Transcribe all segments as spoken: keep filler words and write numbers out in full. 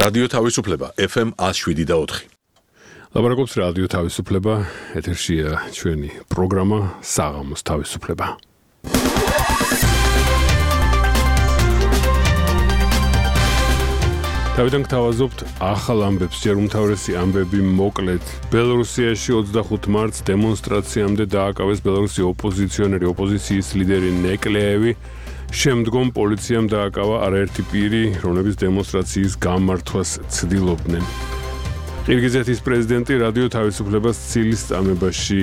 რადიო თავისუფლება ეფ ემ one oh seven და four. ლაბარაკობს რადიო თავისუფლება, ეთერშია ჩვენი პროგრამა საღამოს თავისუფლება. თავიდან გთავაზობთ ახალ ამბებს, ჯერ უმთავრესი ამბები მოკლედ. ბელორუსიაში ოცდახუთი მარტს დემონსტრაციამდე დააკავეს ბელორუსი ოპოზიციონერი, ოპოზიციის ლიდერი ნეკლეევი. შემდგომ პოლიციამ დააკავა არაერთი პირი, რომლებიც დემონსტრაციის გამართვას ცდილობდნენ. ყირგიზეთის პრეზიდენტი რადიო თავისუფლებას ცილის წამებაში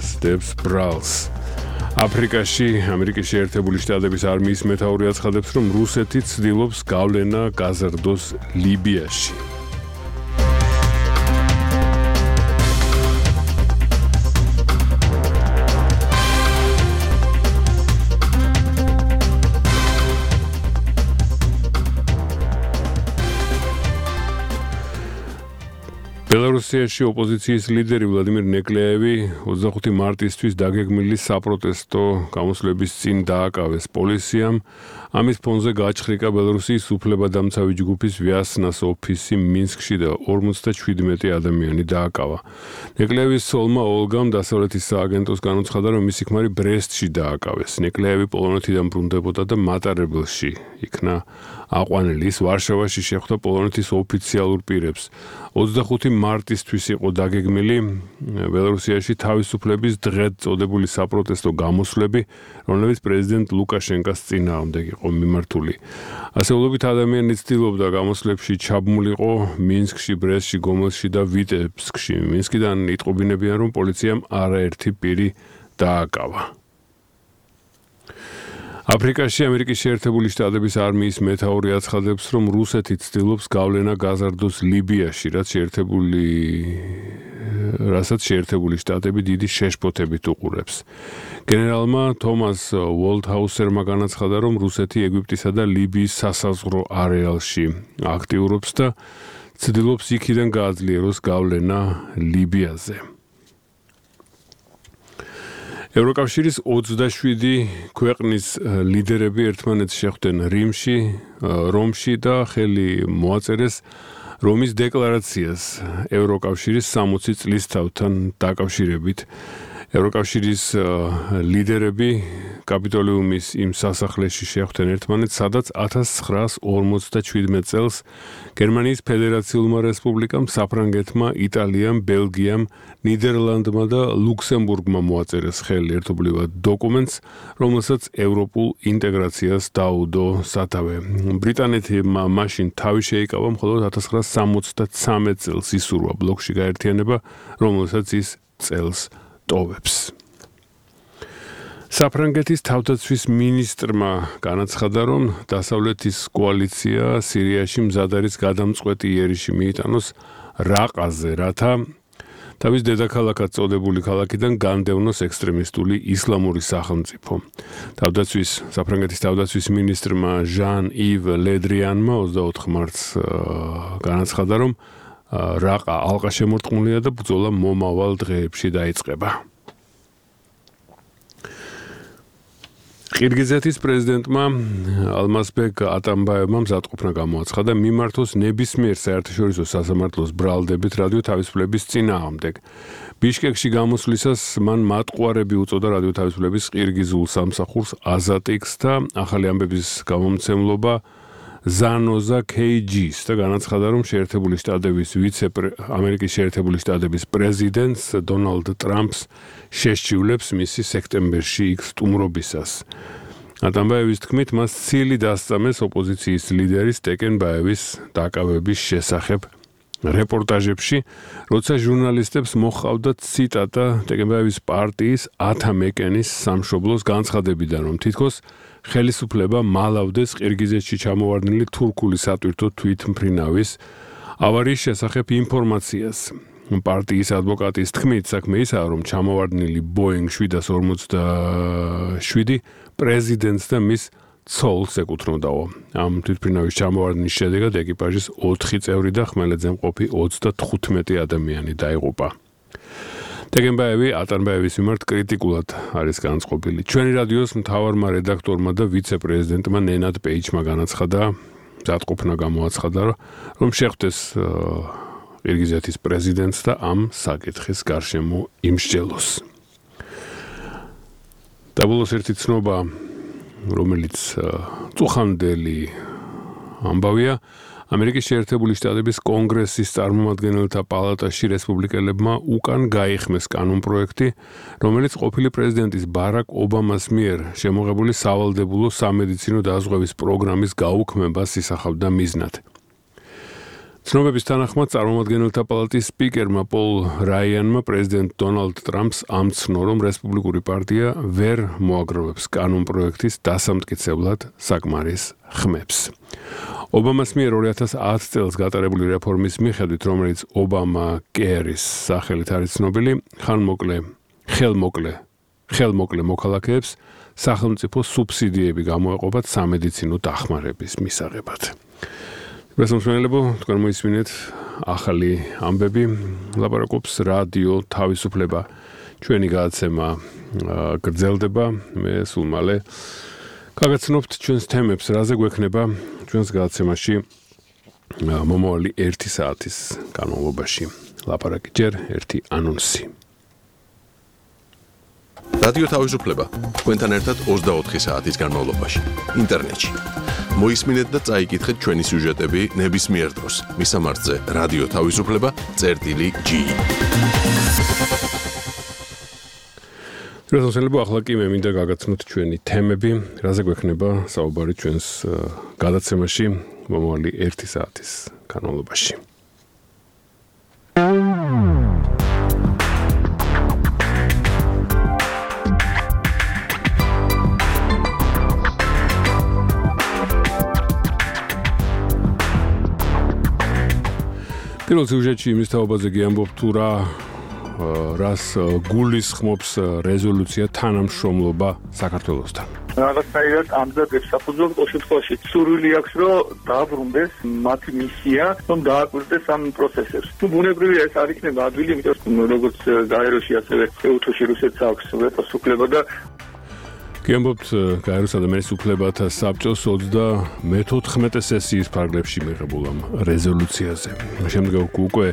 სდებს ბრალს. აფრიკაში ამერიკის შეერთებული შტატების არმიის მეთაური აცხადებს, რომ რუსეთი ცდილობს გავლენა გაზარდოს ლიბიაში. ბელორუსიაში ოპოზიციის ლიდერი ვლადიმირ ნეკლეევი ოცდახუთი მარტისთვის დაგეგმილი საპროტესტო გამოსვლების წინ დააკავეს პოლიციამ. ამის ფონზე გაჩხრიკა ბელორუსიის უფლებადამცავი ჯგუფის ვიასნას ოფისი მინსკში და ორმოცდაშვიდმეტი ადამიანი დააკავა. ნეკლეევის ცოლმა ოლგამ დასავლეთის სააგენტოს განუცხადა, რომ მისი ქმარი ბრესტში დააკავეს. ნეკლეევი პოლონეთიდან ბრუნდებოდა და მატარებელში იქნა აყვანილი. ის ვარშავაში შეხვდა პოლონეთის ოფიციალურ პირებს. ოცდახუთი მარტისთვის იყო დაგეგმილი ბელორუსიაში თავისუფლების დღედ წოდებული საპროტესტო გამოსვლები, რომლებიც პრეზიდენტ ლუკაშენკას წინააღმდეგ იყო მიმართული. ასეულობით ადამიანი ცდილობდა გამოსვლებში ჩაბმულიყო მინსკში, ბრესტში, გომელში და ვიტებსკში. მინსკიდან იტყობინებიან, რომ პოლიციამ არაერთი პირი დააკავა. აფრიკაში ამერიკის შეერთებული შტატების არმიის მეთაური აცხადებს, რომ რუსეთი ცდილობს გავლენა გაზარდოს ლიბიაში, რაც შეერთებული რასაც შეერთებული შტატები დიდი შეშფოთებით უყურებს. გენერალმა თომას უოლდჰაუსერმა განაცხადა, რომ რუსეთი ეგვიპტისა და ლიბიის სასაზღვრო არეალში აქტიურობს და ცდილობს იქიდან გააძლიეროს გავლენა ლიბიაზე. ევროკავშირის ოცდაშვიდი ქვეყნის ლიდერები ერთმანეთს შეხვდნენ რიმში, რომში და ხელი მოაწერეს რომის დეკლარაციას ევროკავშირის სამოცი წლის თავთან დაკავშირებით. ევროკავშირის ლიდერები კაპიტოლიუმის იმ სასახლეში შეხვდნენ ერთმანეთს, სადაც ათას ცხრაას ორმოცდაშვიდმეტ წელს გერმანიის ფედერაციულმა რესპუბლიკამ, საფრანგეთმა, იტალიამ, ბელგიამ, ნიდერლანდმა და ლუქსემბურგმა მოაწერეს ხელი ერთობლივად დოკუმენტს, რომელსაც ევროპულ ინტეგრაციას დაუდო სათავე. ბრიტანეთმა მაშინ თავი შეიკავა, მხოლოდ ათას ცხრაას სამოცდათრამეტ წელს ისურვა ბლოკში გაერთიანება, რომელსაც ის წელს ტოვებს. საფრანგეთის თავდაცვის მინისტრმა განაცხადა, რომ დასავლეთის კოალიცია სირიაში მზად არის გადამწყვეტი იერიში მიიტანოს რაყაზე, რათა თავის დედაქალაქად წოდებული ქალაქიდან განდევნოს ექსტრემისტული ისლამური სახელმწიფო. თავდაცვის საფრანგეთის თავდაცვის მინისტრმა ჟან-ივ ლედრიანმა ოცდაოთხ მარტს განაცხადა, რომ რაყა ალყა შემორტყმულია და ბრძოლა მომავალ დღეებში დაიწყება. ყირგიზეთის პრეზიდენტმა ალმაზბეკ ატამბაევმა მზადყოფნა გამოაცხადა მიმართოს ნებისმიერ საერთაშორისო სასამართლოს ბრალდებით რადიო თავისუფლების წინააღმდეგ. ბიშკეკში გამოსვლისას მან მატყუარები უწოდა რადიო თავისუფლების ყირგიზულ სამსახურს აზატიკს და ახალი ამბების გამომცემლობა ზანოზა ქეიჯის და განაცხადა, რომ შეერთებული შტატების ვიცე ამერიკის შეერთებული შტატების პრეზიდენტს დონალდ ტრამპს შესჩივლებს მისი სექტემბერში იქ სტუმრობისას. ატამბაევის თქმით, მას ცილი დასწამეს ოპოზიციის ლიდერის ტეკენბაევის დაკავების შესახებ რეპორტაჟებში, როცა ჟურნალისტებს მოჰყავდათ ციტატა ტეკენბაევის პარტიის ათამეკენის სამშობლოს განცხადებიდან, რომ თითქოს ხელისუფლება მალავდეს ყირგიზეთში ჩამოვარდნილი თურქული სატვირთო თვითმფრინავის ავარიის შესახებ ინფორმაციას. პარტიის ადვოკატის თქმით, საქმე ისაა, რომ ჩამოვარდნილი ბოინგ შვიდას ორმოცდაშვიდი პრეზიდენტს და მის ცოლს ეკუთვნოდაო. ამ თვითმფრინავის ჩამოვარდნის შედეგად ეკიპაჟის ოთხი წევრი და ხმელეთზე მყოფი ოცდათხუთმეტი ადამიანი დაიღუპა. ტეკენბაევი ატამბაევის მიმართ კრიტიკულად არის განწყობილი. ჩვენი რადიოს მთავარმა რედაქტორმა და ვიცე-პრეზიდენტმა ნენად პეიჩმა განაცხადა, მზადყოფნა გამოაცხადა, რომ შეხვდეს ყირგიზეთის პრეზიდენტს და ამ საკითხის გარშემო იმსჯელოს. დაბოლოს ერთი ცნობა, რომელიც წუხანდელი ამბავია, ამერიკის შეერთებული შტატების კონგრესის წარმომადგენელთა პალატაში რესპუბლიკელებმა უკან გაიხმეს კანონპროექტი, რომელიც ყოფილი პრეზიდენტის ბარაკ ობამას მიერ შემოღებული სავალდებულო სამედიცინო დაზღვევის პროგრამის გაუქმებას ისახავდა მიზნად. ცნობების თანახმად წარმომადგენელთა პალატის სპიკერმა პოლ რაიანმა პრეზიდენტ დონალდ ტრამპს ამცნო, რომ რესპუბლიკური პარტია ვერ მოაგროვებს კანონპროექტის დასამტკიცებლად საკმარის ხმებს. ობამას მიერ ორი ათას ათი წელს გატარებული რეფორმის მიხედვით, რომელიც ობამა კერის სახელით არის ცნობილი, ხანმოკლე, ხელმოკლე, ხელმოკლე მოქალაქეებს სახელმწიფო სუბსიდიები გამოეყოფათ სამედიცინო დახმარების მისაღებად. Responsibility, თქვენ მოისმინეთ ახალი ამბები, ლაპარაკობს რადიო თავისუფლება. ჩვენი გადაცემა გრძელდება, მე სულ მალე გაგაცნობთ ჩვენს თემებს, რაზე გვექნება ჩვენს გადაცემაში მომავალი ერთი საათის განმავლობაში. ლაპარაკი ჯერ ერთი ანონსი. რადიო თავისუფლება თქვენთან ერთად ოცდაოთხი საათის განმავლობაში ინტერნეტში. მოისმინეთ და წაიკითხეთ ჩვენი სიუჟეტები ნებისმიერ დროს. მისამართზე რადიო თავისუფლება წერტილი ჯი. შესაძლოა ახლა კი მე მინდა გაგაცნოთ ჩვენი თემები, რაზე გვექნება საუბარი ჩვენს გადაცემაში მომავალი ერთი საათის განმავლობაში. პირველ სიუჟეტში იმის თაობაზე გიამბობ თუ რა რას გულისხმობს რეზოლუცია თანამშრომლობა საქართველოსთან. რაღაცნაირად ამზადებს საფუძვლად ყოველ შემთხვევაში სურვილი აქვს, რომ დააბრუნდეს მათი მისია, რომ დააკვირდეს ამ პროცესებს. თუ ბუნებრივია ეს არ იქნება ადვილი, იმიტომ რომ როგორც გაეროში, ასევე ეუთოში რუსეთს აქვს ვეტოს უფლება და გიამბობთ გაეროს ადამიანის უფლებათა საბჭოს ოცდამეთოთხმეტე სესიის ფარგლებში მიღებულ ამ რეზოლუციაზე. შემდგომ უკვე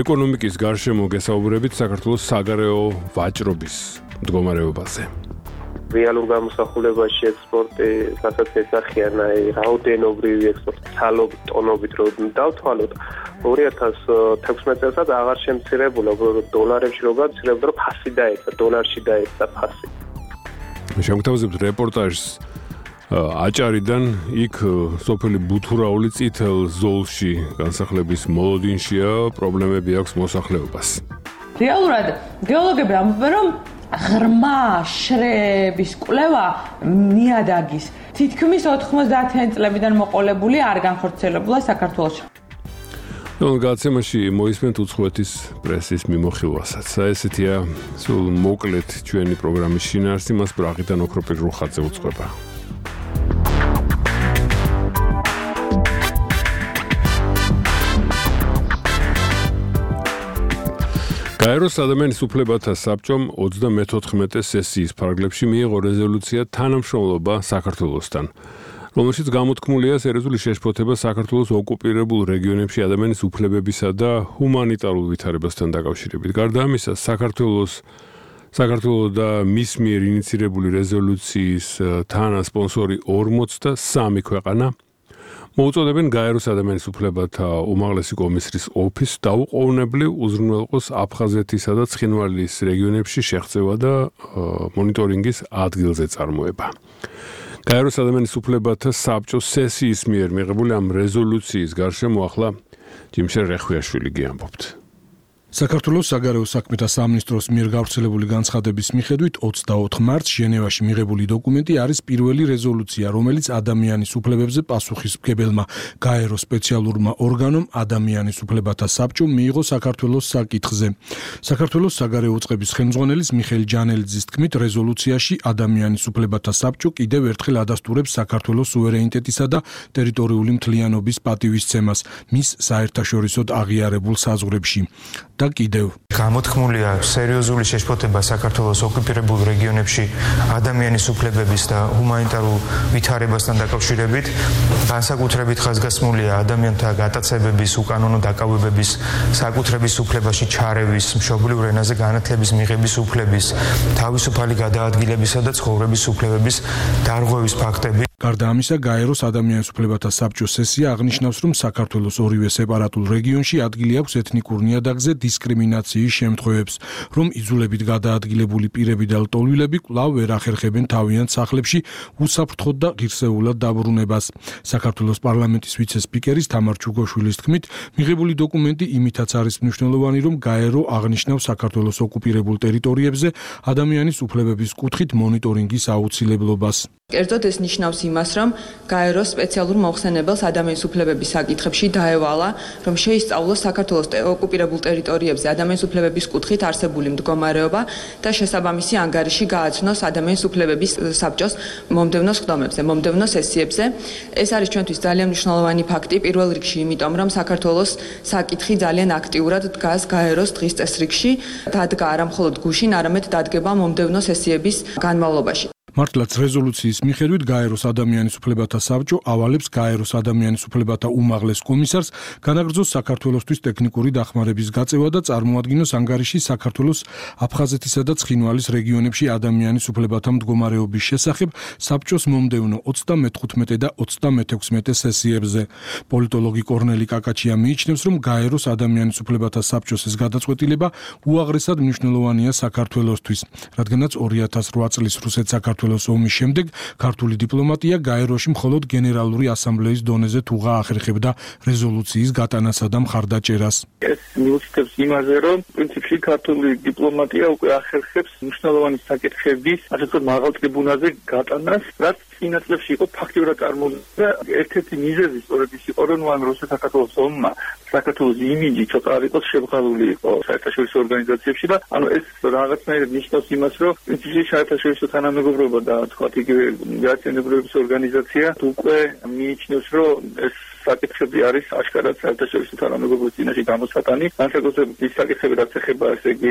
ეკონომიკის გარშემო გესაუბრებით საქართველოს საგარეო ვაჭრობის მდგომარეობაზე. რეალურ გამოსახულებაში ექსპორტი რასაც ესახიან აი რაოდენობრივი ექსპორტი ცალობ ტონობით რომ დავთვალოთ ორი ათას თექვსმეტ წელსაც აღარ შემცირებულა დოლარებში რო გაცირებდა რომ ფასი დაეცა დოლარში დაეცა ფასი. შემოგთავაზებთ რეპორტაჟს აჭარიდან იქ სოფელი ბუთურაული წითელ ზოლში განსახლების მოლოდინშია პრობლემები აქვს მოსახლეობას. რეალურად გეოლოგები ამბობენ რომ ღრმა შრეების კვლევა ნიადაგის თითქმის ოთხმოცდაათიანი წლებიდან მოყოლებული არ განხორციელებულა საქართველოში. ნუ გადაცემაში მოისმენთ უცხოეთის პრესის მიმოხილვასაც. ესეთია სულ მოკლედ ჩვენი პროგრამის შინაარსი, მას ბრაღიდან ოქროპირ რუხაძე უწყება. გაეროს ადამიანის უფლებათა საბჭომ ოცდამეთოთხმეტე სესიის ფარგლებში მიიღო რეზოლუცია თანამშრომლობა საქართველოსთან, რომელშიც გამოთქმულია სერიოზული შეშფოთება საქართველოს ოკუპირებულ რეგიონებში ადამიანის უფლებებისა და ჰუმანიტარულ ვითარებასთან დაკავშირებით. გარდა ამისა, საქართველოს საქართველოს და მის მიერ ინიცირებული რეზოლუციის თანასპონსორი ორმოცდასამი ქვეყანა მოუწოდებენ გაეროს ადამიანის უფლებათა უმაღლესი კომისრის ოფისს დაუყოვნებლივ უზრუნველყოს აფხაზეთისა და ცხინვალის რეგიონებში შეღწევა და მონიტორინგის ადგილზე წარმოება. გაეროს ადამიანის უფლებათა საბჭოს სესიის მიერ მიღებული ამ რეზოლუციის გარშემო ახლა ჯიმშერ რეხვიაშვილი გიამბობთ. საქართველოს საგარეო საქმეთა სამინისტროს მიერ გავრცელებული განცხადების მიხედვით ოცდაოთხ მარტს ჟენევაში მიღებული დოკუმენტი არის პირველი რეზოლუცია, რომელიც ადამიანის უფლებებზე პასუხისმგებელმა გაეროს სპეციალურმა ორგანომ ადამიანის უფლებათა საბჭომ მიიღო საქართველოს საკითხზე. საქართველოს საგარეო უწყების ხელმძღვანელის მიხეილ ჯანელიძის თქმით, რეზოლუციაში ადამიანის უფლებათა საბჭო კიდევ ერთხელ ადასტურებს საქართველოს სუვერენიტეტისა და ტერიტორიული მთლიანობის პატივისცემას მის საერთაშორისოდ აღიარებულ საზღვრებში. და კიდევ გამოთქმულია სერიოზული შეშფოთება საქართველოს ოკუპირებულ რეგიონებში ადამიანის უფლებების და ჰუმანიტარულ ვითარებასთან დაკავშირებით, განსაკუთრებით ხაზგასმულია ადამიანთა გატაცებების, უკანონო დაკავებების, საკუთრების უფლებაში ჩარევის, მშობლიურ ენაზე განათლების მიღების უფლების, თავისუფალი გადაადგილებისა და ცხოვრების უფლებების დარღვევის ფაქტები. გარდა ამისა, გაეროს ადამიანის უფლებათა საბჭოს სესია აღნიშნავს, რომ საქართველოს ორივე სეპარატულ რეგიონში ადგილი აქვს ეთნიკურ ნიადაგზე დისკრიმინაციის შემთხვევებს, რომ იძულებით გადაადგილებული პირები და ლტოლვილები კვლავ ვერ ახერხებენ თავიანთ სახლებში უსაფრთხოდ და ღირსეულად დაბრუნებას. საქართველოს პარლამენტის ვიცე-სპიკერის თამარ ჩუგოშვილის თქმით, მიღებული დოკუმენტი იმითაც არის მნიშვნელოვანი, რომ გაერო აღნიშნავს საქართველოს ოკუპირებულ ტერიტორიებზე ადამიანის უფლებების კუთხით მონიტორინგის აუცილებლობას. კერძოდ ეს ნიშნავს იმას, რომ გაერო სპეციალურ მოხსენებელს ადამიანის უფლებების საკითხებში დაევალა, რომ შეისწავლოს საქართველოს ოკუპირებულ ტერიტორიებზე ადამიანის უფლებების კუთხით არსებული მდგომარეობა და შესაბამისი ანგარიში გააცნოს ადამიანის უფლებების საბჭოს მომდევნო სხდომებზე, მომდევნო სესიებზე. ეს არის ჩვენთვის ძალიან მნიშვნელოვანი ფაქტი, პირველ რიგში იმიტომ, რომ საქართველოს საკითხი ძალიან აქტიურად დგას გაეროს დღის წესრიგში, დადგა არა მხოლოდ გუშინ, არამედ დადგება მომდევნო სესიების განმავლობაში. მართლაც რეზოლუციის მიხედვით გაეროს ადამიანის უფლებათა საბჭო ავალებს გაეროს ადამიანის უფლებათა უმაღლეს კომისარს განაგრძოს საქართველოსთვის ტექნიკური დახმარების გაწევა და წარმოადგინოს ანგარიში საქართველოს აფხაზეთისა და ცხინვალის რეგიონებში ადამიანის უფლებათა მდგომარეობის შესახებ საბჭოს მომდევნო ოცდამეთხუთმეტე და ოცდამეთექვსმეტე სესიებზე. პოლიტოლოგი კორნელი კაკაჩია მიიჩნევს, რომ გაეროს ადამიანის უფლებათა საბჭოს ეს გადაწყვეტილება უაღრესად მნიშვნელოვანია საქართველოსთვის, რადგანაც ორი ათას რვა წლის რუსეთ-საქართველოს ომის შემდეგ ქართული დიპლომატია გაეროში მხოლოდ გენერალური ასამბლეის დონეზე თუღა ახერხებდა რეზოლუციის გატანასა და მხარდაჭერას. ეს მიუთითებს იმაზე, რომ პრინციპში ქართული დიპლომატია უკვე ახერხებს მნიშვნელოვანი საკითხების, ასე ვთქვათ, მაღალ ტრიბუნაზე გატანას, რაც წინა წლებში იყო ფაქტიურად წარმოუდგენელი და ერთ-ერთი მიზეზი სწორედ ის იყო, რომ ან რუსეთ-საქართველოს ომმა საქართველოს იმიჯი ცოტა არ იყოს შემღალული იყო საერთაშორისო ორგანიზაციებში და ანუ ეს რაღაცნაირად ნიშნავს იმას, რომ პრინციპში საერთაშორისო თანამეგობრობა და თქვათ იგივე გაერთიანებების ორგანიზაცია უკვე მიიჩნევს, რომ ეს საკითხები არის აშკარად საერთაშორისო თანამეგობრობის წინაშე გამოსატანი. განსაკუთრებით ის საკითხები, რაც ეხება ესე იგი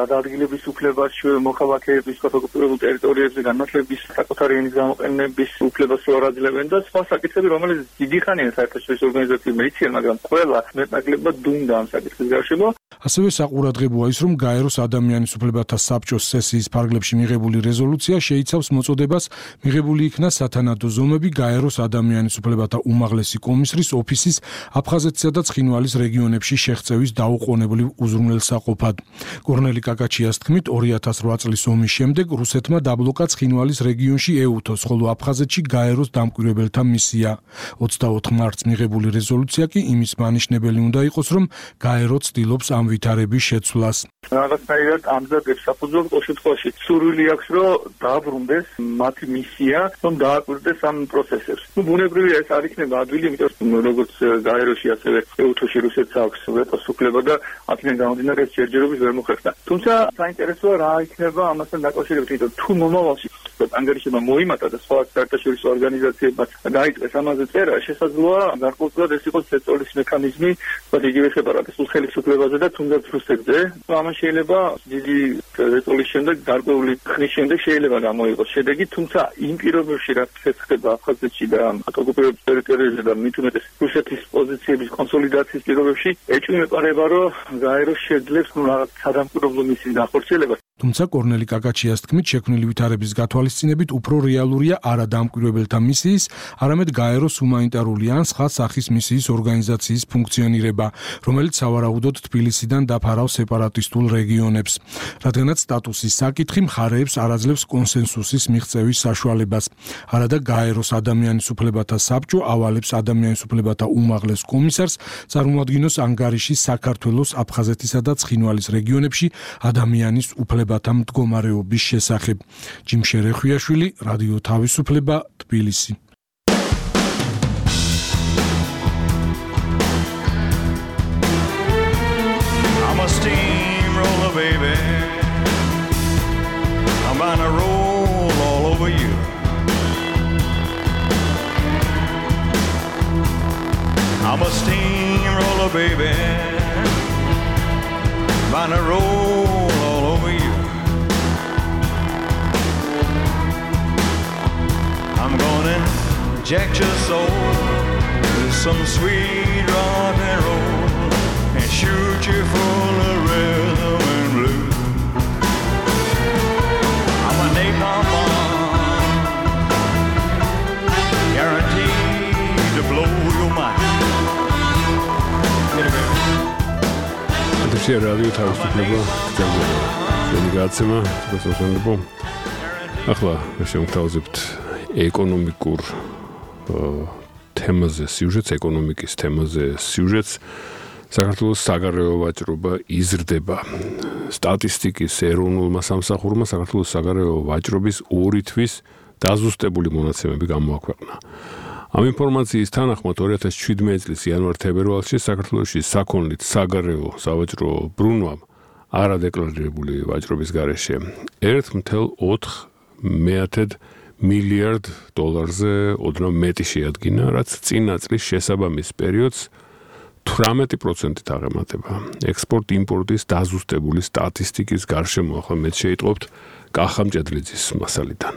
გადაადგილების უფლებას, მოქალაქეების ოკუპირებულ ტერიტორიებზე განათლების საკუთარი ენის გამოყენების უფლებას რო არაძლებენ და სხვა საკითხები, რომელიც დიდი ხანია საერთაშორისო ორგანიზაციებმა იციან, მაგრამ ყველა მეტნაკლებად დუმდა ამ საკითხის გარშემო. ასევე საყურადღებოა ის, რომ გაეროს ადამიანის უფლებათა საბჭოს სესიის ფარგლებში მიღებული რეზოლუცია შეიცავს მოწოდებას მიღებული იქნა სათანადო ზომები გაეროს ადამიანის უფლებათა უმაღლესი კომისრის ოფისის აფხაზეთისა და ცხინვალის რეგიონებში შეღწევის დაუყოვნებლივ უზრუნველსაყოფად. კორნელი კაკაჩიას თქმით, ორი ათას რვა წლის ომის შემდეგ რუსეთმა დაბლოკა ცხინვალის რეგიონში ეუთოს, ხოლო აფხაზეთში გაეროს დამკვირვებელთა მისია. ოცდაოთხ მარტს მიღებული რეზოლუცია კი იმის მანიშნებელი უნდა იყოს, რომ გაერო ცდილობს ამ ვითარების შეცვლას. რაღაცნაირად ამზადებს საფუძველს ყოველ შემთხვევაში სურვილი აქვს, რომ დააბრუნდეს მათი მისია, რომ დააკვირდეს ამ პროცესებს. ნუ ბუნებრივია ეს არ იქნება ადვილი, იმიტომ რომ როგორც გაეროში, ასევე ეუთოში რუსეთს აქვს ვეტოს უფლება და აქედან გამომდინარე ეს ჯერჯერობით ვერ მოხერხდა. თუმცა საინტერესოა რა იქნება ამასთან დაკავშირებით, იმიტომ თუ მომავალში ანგარიშება მოიმატა და სხვა საერთაშორისო ორგანიზაციებმაც დაიწყეს ამაზე წერა, შესაძლოა გარკვეულად ეს იყოს ზეწოლის მექანიზმი, თუმცა იგივე სეპარატისტულ ხელისუფლებაზე და თუნდაც რუსეთზე. ამან შეიძლება დიდი ზეწოლის შემდეგ გარკვეული ხნის შემდეგ შეიძლება გამოიღოს შედეგი, თუმცა იმ პირობებში რაც ხდება აფხაზეთში და ოკუპირებულ ტერიტორიებზე და მით უმეტეს რუსეთის პოზიციების კონსოლიდაციის პირობებში ეჭვმეპარება, რომ გაერო შეძლებს ნუ რაღაც სადამკვირვებლო მისიის განხორციელებას. თუმცა კორნელი კაკაჩიას თქმით, შექმნილი ვითარების გათვალისწინებით უფრო რეალურია არა დამკვირვებელთა მისიის, არამედ გაეროს ჰუმანიტარული ან სხვა სახის მისიის ორგანიზაციის ფუნქციონირება, რომელიც სავარაუდოდ თბილისიდან დაფარავს სეპარატისტულ რეგიონებს. რადგანაც სტატუსის საკითხი მხარეებს არ აძლევს კონსენსუსის მიღწევის საშუალებას. არადა გაეროს ადამიანის უფლებათა საბჭო ავალებს ადამიანის უფლებათა უმაღლეს კომისარს წარმოადგინოს ანგარიში საქართველოს, აფხაზეთისა და ცხინვალის რეგიონებში ადამიანის უფლებათა მდგომარეობის შესახებ. ჯიმშე რეხვიაშვილი, რადიო თავისუფლება, თბილისი. I'm a steamroller, baby. I'm gonna roll all over you. I'm a steamroller, baby. gonna roll all over you. I'm gonna inject your soul with some sweet rock and roll and shoot you full of rhythm and blues. I'm a napalm bomb, guaranteed to blow your mind. Andrei Radio თავისუფლება გრძელდება. ჩვენი გაცემა პროფესიონალურობა. ახლა შევთავაზებთ ეკონომიკურ თემაზე სიუჟეტს, ეკონომიკის თემაზე სიუჟეტს. საქართველოს საგარეო ვაჭრობა იზრდება. სტატისტიკის ეროვნულმა სამსახურმა საქართველოს საგარეო ვაჭრობის ორი თვის დაზუსტებული მონაცემები გამოაქვეყნა. ამ ინფორმაციის თანახმად ორი ათას შვიდმეტი წლის იანვარ-თებერვალში საქართველოში საქონლით საგარეო სავაჭრო ბრუნვამ არადეკლარირებული ვაჭრობის გარეშე ერთ ნული ოთხ მეათედ მილიარდ დოლარზე ოდნავ მეტი შეადგინა, რაც წინა წლის შესაბამის პერიოდს თვრამეტი პროცენტით აღემატება. ექსპორტ-იმპორტის დაზუსტებული სტატისტიკის გარშემო ახლა მეც შეიტყობთ კახა მჭედლიძის მასალიდან.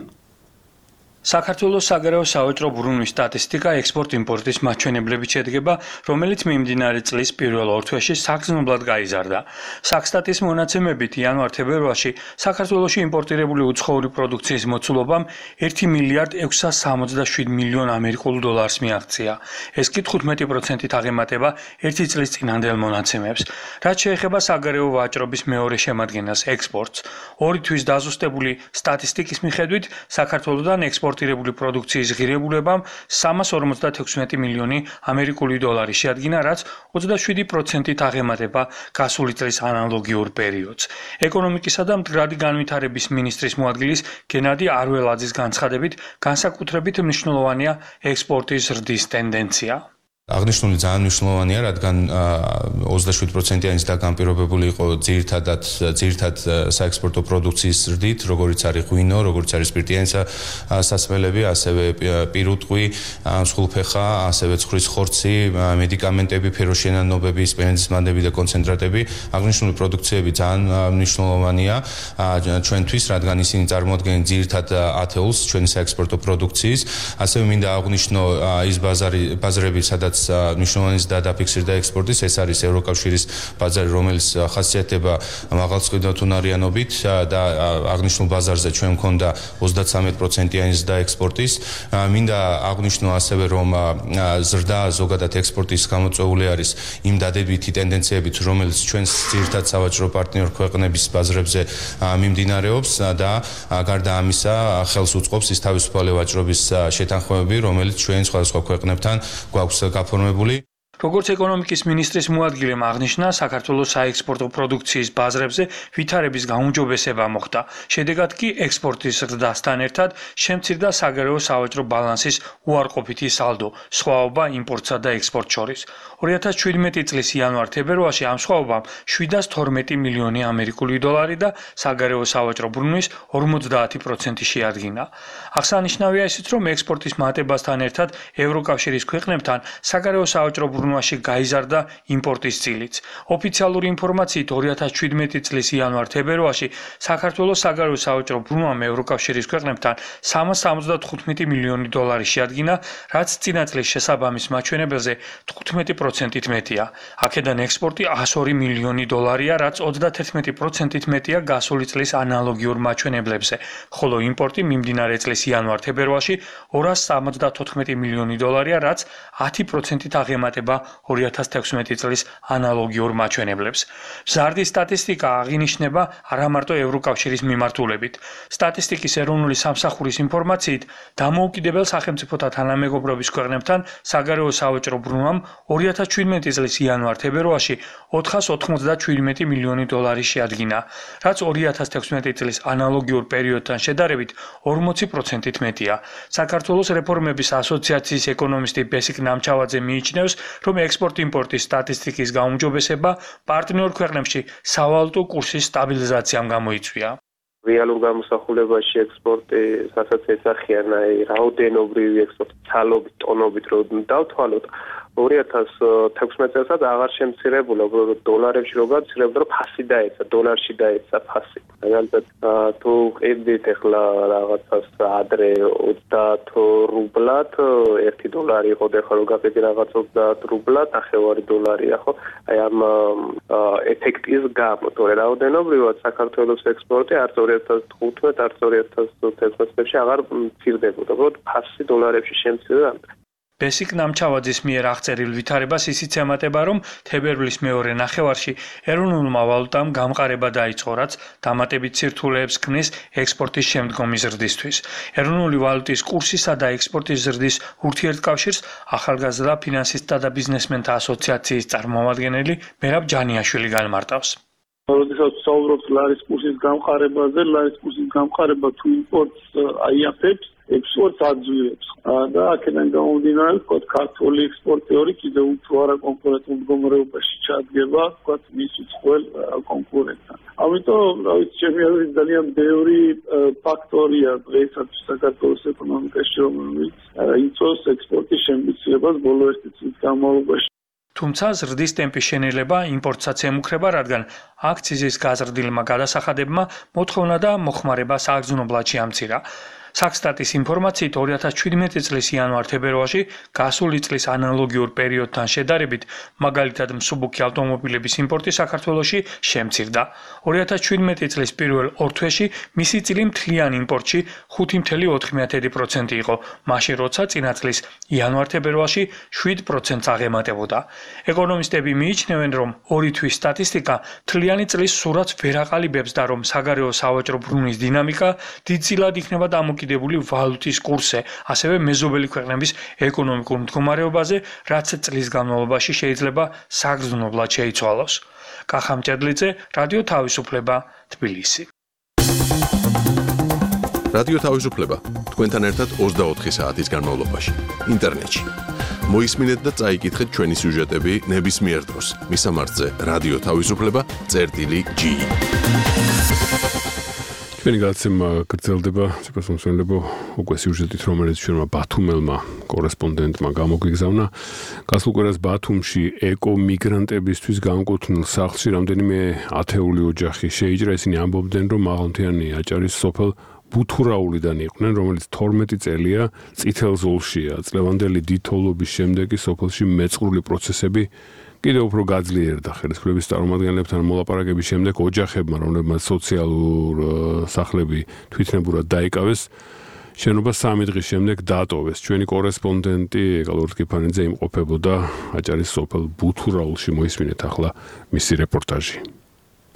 საქართველოს საგარეო სავაჭრო ბრუნვის სტატისტიკა ექსპორტ-იმპორტის მაჩვენებლებით შედგება, რომელიც მიმდინარე წლის პირველ ორთვეში საგრძნობლად გაიზარდა. საქსტატის მონაცემებით იანვარ-თებერვალში საქართველოში იმპორტირებული უცხოური პროდუქციის მოცულობამ ერთი მილიარდ ექვსსა სამოცდაშვიდ მილიონ ამერიკულ დოლარს მიაღწია. ეს კი თხუთმეტი პროცენტით აღემატება ერთი წლის წინანდელ მონაცემებს. რაც შეეხება საგარეო ვაჭრობის მეორე შემადგენელს ექსპორტს, ორი თვის დაზუსტებული სტატისტიკის მიხედვით საქართველოდან ექსპორტ იმპორტირებული პროდუქციის ღირებულებამ სამას ორმოცდათექვსმეტი მილიონი ამერიკული დოლარი შეადგინა, რაც ოცდაშვიდი პროცენტით აღემატება გასული წლის ანალოგიურ პერიოდს. ეკონომიკისა და მდგრადი განვითარების მინისტრის მოადგილის გენადი არველაძის განცხადებით, განსაკუთრებით მნიშვნელოვანია ექსპორტის ზრდის ტენდენცია. აღნიშნული ძალიან მნიშვნელოვანია, რადგან ოცდაშვიდ პროცენტიანიც დაგამპირობებული იყო ძირითადად ძირითად საექსპორტო პროდუქციის ზრდით, როგორიც არის ღვინო, როგორიც არის სპირტიანი სასმელები, ასევე პირუტყვი, მსხვილფეხა, ასევე ცხრის ხორცი, მედიკამენტები, ფეროშენანობები, სპენდის მანდები და კონცენტრატები. აღნიშნული პროდუქციები ძალიან მნიშვნელოვანია ჩვენთვის, რადგან ისინი წარმოადგენენ ძირითად ათეულს ჩვენი საექსპორტო პროდუქციის. ასევე მინდა აღვნიშნო ის ბაზარი ბაზრები, სადაც მნიშვნელოვანი დაფიქსირდა ექსპორტის, ეს არის ევროკავშირის ბაზარი, რომელიც ხასიათდება მაღალწყვეტუნარიანობით და აღნიშნულ ბაზარზე ჩვენ მქონდა ოცდათვრამეტი პროცენტიანი ზრდა ექსპორტის. მინდა აღვნიშნო ასევე, რომ ზრდა ზოგადად ექსპორტის გამოწვეული არის იმ დადებითი ტენდენციებით, რომელიც ჩვენს ძირითად სავაჭრო პარტნიორ ქვეყნების ბაზრებზე მიმდინარეობს და გარდა ამისა ხელს უწყობს ის თავისუფალი ვაჭრობის შეთანხმებები, რომელიც ჩვენ სხვადასხვა ქვეყნებთან გვაქვს გაფორმებული. როგორც ეკონომიკის მინისტრის მოადგილემ აღნიშნა, საქართველოს საექსპორტო პროდუქციის ბაზრებზე ვითარების გაუმჯობესება მოხდა. შედეგად კი ექსპორტის ზრდასთან ერთად შემცირდა საგარეო სავაჭრო ბალანსის უარყოფითი სალდო, სხვაობა იმპორტსა და ექსპორტს შორის. ორი ათას შვიდმეტი წლის იანვარ-თებერვალში ამ სხვაობამ შვიდას თორმეტი მილიონი ამერიკული დოლარი და საგარეო სავაჭრო ბრუნვის ორმოცდაათი პროცენტი შეადგინა. აღსანიშნავია ისიც, რომ ექსპორტის მატებასთან ერთად ევროკავშირის ქვეყნებთან საგარეო სავაჭრო ბრუნვაში გაიზარდა იმპორტის წილიც. ოფიციალური ინფორმაციით ორი ათას შვიდმეტი წლის იანვარ-თებერვალში საქართველოს საგარეო სავაჭრო ბრუნვამ ევროკავშირის ქვეყნებთან სამას სამოცდათხუთმეტი მილიონი დოლარი შეადგინა, რაც წინა წლის შესაბამის მაჩვენებელზე თხუთმეტი პროცენტით მეტია. აქედან ექსპორტი εκατს ორი მილიონი დოლარია, რაც ოცდათერთმეტი პროცენტით მეტია გასული წლის ანალოგიურ მაჩვენებლებზე, ხოლო იმპორტი მიმდინარე წლის იანვარ-თებერვალში ორას სამოცდათოთხმეტი მილიონი დოლარია, რაც ათი პროცენტით აღემატება ორი ათას თექვსმეტი წლის ანალოგიურ მაჩვენებლებს. მზარდი სტატისტიკა აღინიშნება არამარტო ევროკავშირის მიმართულებით. სტატისტიკის ეროვნული სამსახურის ინფორმაციით, დამოუკიდებელ სახელმწიფოთა თანამეგობრობის ქვეყნებთან საგარეო სავაჭრო ბრუნვამ ორი ათას შვიდმეტი წლის იანვარ-თებერვალში ოთხას ოთხმოცდაშვიდმეტი მილიონი დოლარი შეადგინა, რაც ორი ათას თექვსმეტი წლის ანალოგიურ პერიოდთან შედარებით ორმოცი პროცენტით მეტია. საქართველოს რეფორმების ასოციაციის ეკონომისტი ბესიკ ნამჩავაძე მიიჩნევს, რომ ექსპორტ-იმპორტის სტატისტიკის გაუმჯობესება პარტნიორ ქვეყნებში სავალუტო კურსის სტაბილიზაციამ გამოიწვია. რეალურ გამოსახულებაში ექსპორტი, რასაც ესახიან, აი, რაოდენობრივი ექსპორტი, ცალობით, ტონობით რო დავთვალოთ, ორი ათას თექვსმეტ წელსაც აღარ შემცირებულა, უბრალოდ დოლარებში რო გამცირებდა, რომ ფასი დაეცა, დოლარში დაეცა ფასი. მაგალითად, თუ ყიდით ახლა რაღაცას ადრე ოცდაათ რუბლად, ერთი დოლარი იყო, ახლა რო გაყიდი რაღაც ოცდაათ რუბლად, ნახევარი დოლარია, ხო? აი ამ ეფექტის გამო, თორე რაოდენობრივად საქართველოს ექსპორტი არც ორი ათას თხუთმეტ, არც ორი ათას თერთმეტ წლებში აღარ მცირდებოდა, უბრალოდ ფასი დოლარებში შემცირდა. ბესიკ ნამჩავაძის მიერ აღწერილ ვითარებას ისიც ემატება, რომ თებერვლის მეორე ნახევარში ეროვნულმა ვალუტამ გამყარება დაიწყო, რაც დამატებით სირთულეებს ქმნის ექსპორტის შემდგომი ზრდისთვის. ეროვნული ვალუტის კურსისა და ექსპორტის ზრდის ურთიერთკავშირს ახალგაზრდა ფინანსისტთა და ბიზნესმენთა ასოციაციის წარმომადგენელი მერაბ ჯანიაშვილი განმარტავს. როდესაც საუბრობთ ლარის კურსის გამყარებაზე, ლარის კურსის გამყარება თუ იმპორტს აიაფებს, ექსპორტს აძვირებს და აქედან გამომდინარე, ვთქვათ, ქართული ექსპორტიორი კიდევ უფრო არაკონკურენტულ მდგომარეობაში ჩადგება, ვთქვათ, მის უცხოელ კონკურენტთან. ამიტომ, რა ვიცი, ჩემი აზრით ძალიან ბევრი ფაქტორია დღეისათვის საქართველოს ეკონომიკაში, რომელიც იწვევს ექსპორტის შემცირებას ბოლო ერთი წლის განმავლობაში. თუმცა ზრდის ტემპის შენელება იმპორტსაც ემუქრება, რადგან აქციზის გაზრდილმა გადასახადებმა მოთხოვნა და მოხმარება სააგზნობლად შეამცირა. საქსტატის ინფორმაციით ორი ათას ჩვიდმეტი წლის იანვარ-თებერვალში გასული წლის ანალოგიურ პერიოდთან შედარებით, მაგალითად მსუბუქი ავტომობილების იმპორტი საქართველოში შემცირდა. ორი ათას ჩვიდმეტი წლის პირველ ორ თვეში მისი წილი მთლიან იმპორტში ხუთი კoma ოთხ პროცენტი იყო, მაშინ როცა წინა წლის იანვარ-თებერვალში შვიდ პროცენტს აღემატებოდა. ეკონომისტები მიიჩნევენ, რომ ორი თვის სტატისტიკა მთლიანი წლის სურათს ვერ აყალიბებს და რომ საგარეო სავაჭრო ბრუნვის დინამიკა დიდწილად იქნება დამოკიდებული ვალუტის კურსზე, ასევე მეზობელი ქვეყნების ეკონომიკურ მდგომარეობაზე, რაც წლის განმავლობაში შეიძლება საგრძნობლად შეიცვალოს. კახა მჭედლიძე, რადიო თავისუფლება, თბილისი. რადიო თავისუფლება თქვენთან ერთად ოცდაოთხი საათის განმავლობაში ინტერნეტში. მოისმინეთ და წაიკითხეთ ჩვენი სიუჟეტები ნებისმიერ დროს. მისამართზე რადიო თავისუფლება წერტილი ჯი. ჩვენი გადაცემა გრძელდება, სიყვარულმსმენელებო, უკვე სიუჟეტით, რომელიც ჩვენმა ბათუმელმა კორესპონდენტმა გამოგვიგზავნა. გასულ კვირას ბათუმში ეკომიგრანტებისთვის განკუთვნილ სახლში რამდენიმე ათეული ოჯახი შეიჭრა. ისინი ამბობდნენ, რომ მაღალმთიანი აჭარის სოფელ ბუთურაულიდან იყვნენ, რომელიც თორმეტი წელია წითელ ზოლშია. წლევანდელი დიდთოვლობის შემდეგ სოფელში მეწყრული პროცესები კიდევ უფრო გაძლიერდა. ხელისუფლების წარმომადგენლებთან მოლაპარაკების შემდეგ ოჯახებმა, რომლებმაც სოციალურ სახლები თვითნებურად დაიკავეს, შენობა სამი დღის შემდეგ დატოვეს. ჩვენი კორესპონდენტი ეკალურთ კიფანიძე იმყოფებოდა აჭარის სოფელ ბუთურაულში. მოისმინეთ ახლა მისი რეპორტაჟი.